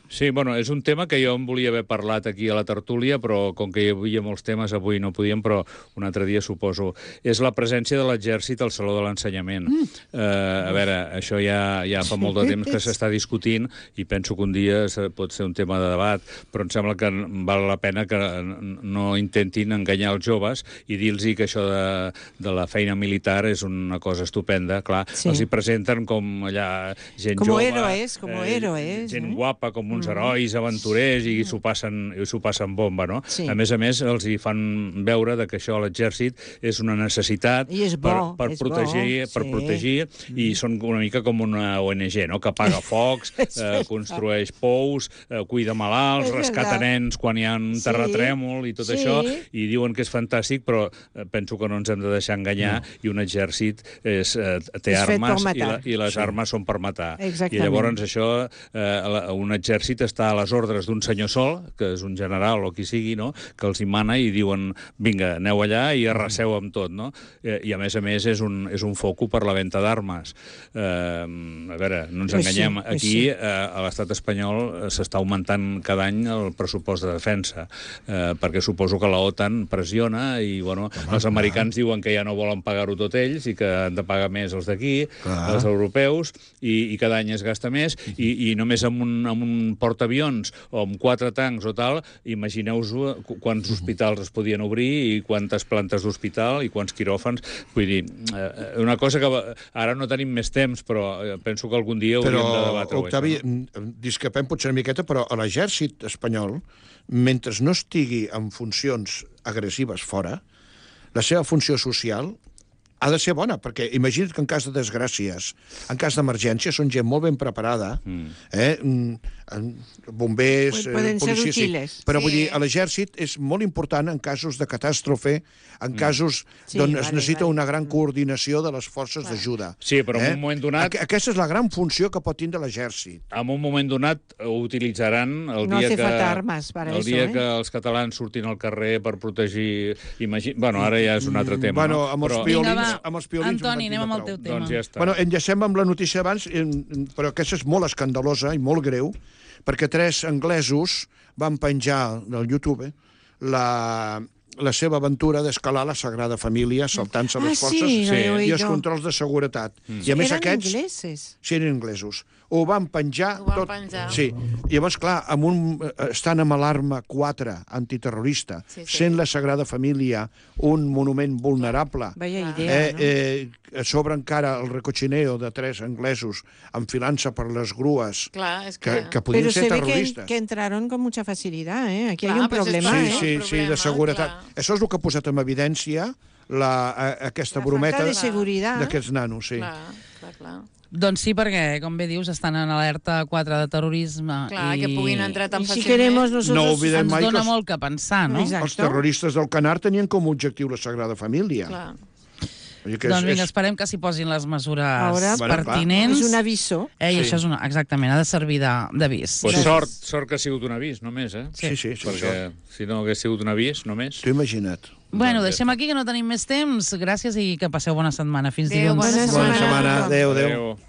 Sí, bueno, és un tema que jo em volia haver parlat aquí a la tertúlia, però com que hi havia molts temes, avui no podíem, però un altre dia suposo. És la presència de l'exèrcit al Saló de l'Ensenyament. Mm. Uh, a veure, això ja, ja fa molt de temps que s'està discutint i penso que un dia se- pot ser un tema de debat, però em sembla que val la pena que no intentin enganyar els joves i dir-los que això de, de la feina militar és una cosa estupenda. Clar, Sí. els hi presenten com allà gent Como jove... héroes, como héroes, Gent no? guapa, com uns herois, aventurers, i s'ho passen, i s'ho passen bomba, no? Sí. A més a més, els hi fan veure de que això a l'exèrcit és una necessitat I és bo, per, per és protegir, bo, per sí. protegir i són una mica com una O N G, no? Que apaga focs, És eh, veritat. construeix pous, eh, cuida malalts, És rescata veritat. nens quan hi ha un Sí. terratrèmol i tot Sí. això, i diuen que és fantàstic, però eh, penso que no ens hem de deixar enganyar, no. I un exèrcit és, eh, té És fet per armes i, la, matar. i les Sí. armes són per matar. Exactament. I llavors això, eh, la- un exèrcit està a les ordres d'un senyor sol, que és un general o qui sigui, no? Que els hi mana i diuen, vinga, aneu allà i arraseu amb tot, no? Eh, I a més a més és un, és un foco per la venda d'armes. Eh, a veure, no ens Pues sí, enganyem, pues aquí sí. eh, a l'estat espanyol eh, s'està augmentant cada any el pressupost de defensa, eh, perquè suposo que la OTAN pressiona i, bueno, els americans diuen que ja no volen pagar-ho tot ells i que han de pagar més els d'aquí, Clar. els europeus, i, i cada any es gasta més, i, i només amb un, amb un portaavions o amb quatre tancs o tal, imagineu-vos qu- quants hospitals es podien obrir i quantes plantes d'hospital i quants quiròfans. Vull dir, eh, una cosa que va- ara no tenim més temps, però eh, penso que algun dia hauríem de Però, debatre-ho. Octavi, això, no? mm, discrepem potser una miqueta, però a l'exèrcit espanyol, mentre no estigui en funcions agressives fora, la seva funció social ha de ser bona, perquè imagina't que en cas de desgràcies, en cas d'emergència, són gent molt ben preparada, mm. eh? bombers, Poden ser policies... útiles. Però vull Sí. dir, a l'exèrcit és molt important en casos de catàstrofe, en casos Sí, d'on vale, es necessita vale. una gran coordinació de les forces d'ajuda. Sí, però en un moment donat... Aqu- Aquesta és la gran funció que pot tindre l'exèrcit. En un moment donat ho utilitzaran el No dia hace que... falta armas para el eso, dia eh? que els catalans surtin al carrer per protegir... Imagi... Bueno, ara ja és un altre tema, Bueno, no? amb els Però... piolins... Vinga, va. amb els piolins Antoni, en anem amb el prou. teu tema. Doncs ja està. Bueno, enllacem amb la notícia abans, en- però aquesta és molt escandalosa i molt greu, perquè tres anglesos van penjar del YouTube la, la seva aventura d'escalar la Sagrada Família saltant-se Ah, les sí, forces lo he i els oído. controls de seguretat. I a més Eren aquests... ingleses. Sí, eren inglesos. Ho van penjar Ho van tot. penjar. Sí. Llavors, clar, amb un, eh, estan amb alarma quatre antiterrorista, Sí, sí. sent la Sagrada Família un monument vulnerable, Vaya Clar. idea, eh, no? eh, a sobre encara el recochineo de tres anglesos enfilant-se per les grues Clar, és que, que... que podien Pero ser se ve que, terroristes. que entraron con mucha facilidad, ¿eh? Aquí Clar, hay un pues és problema, per Sí, ¿eh? això. sí, un sí, de problema, seguretat. clar. Això és el que ha posat en evidència la, a, aquesta La brometa falta de seguridad. d'aquests nanos, sí. Clar, clar, clar. Doncs sí, perquè, com bé dius, estan en alerta quatre de terrorisme. Clar, i... que puguin entrar tan Y si fàcilment. queremos nosotros... No olvidem Ens mai que dona els- molt que pensar, no? Exacte. Els terroristes del Canar tenien com a objectiu la Sagrada Família. Clar. Vull dir que Doncs és, vinga, és... esperem que s'hi posin les mesures Ara, Bueno, clar. pertinents. Es un aviso. Eh, I Sí. això és una, exactament, ha de servir de- d'avís. Pues Sí. sort, sort que ha sigut un avís, només, eh? Sí, sí, sí. Perquè si no hagués sigut un avís, només... T'ho imagina't. Bueno, Doncs ja deixem està. aquí, que no tenim més temps. Gràcies i que passeu bona setmana. Fins Adéu, dilluns. bona Bona setmana. setmana. Adéu, adéu. Adéu.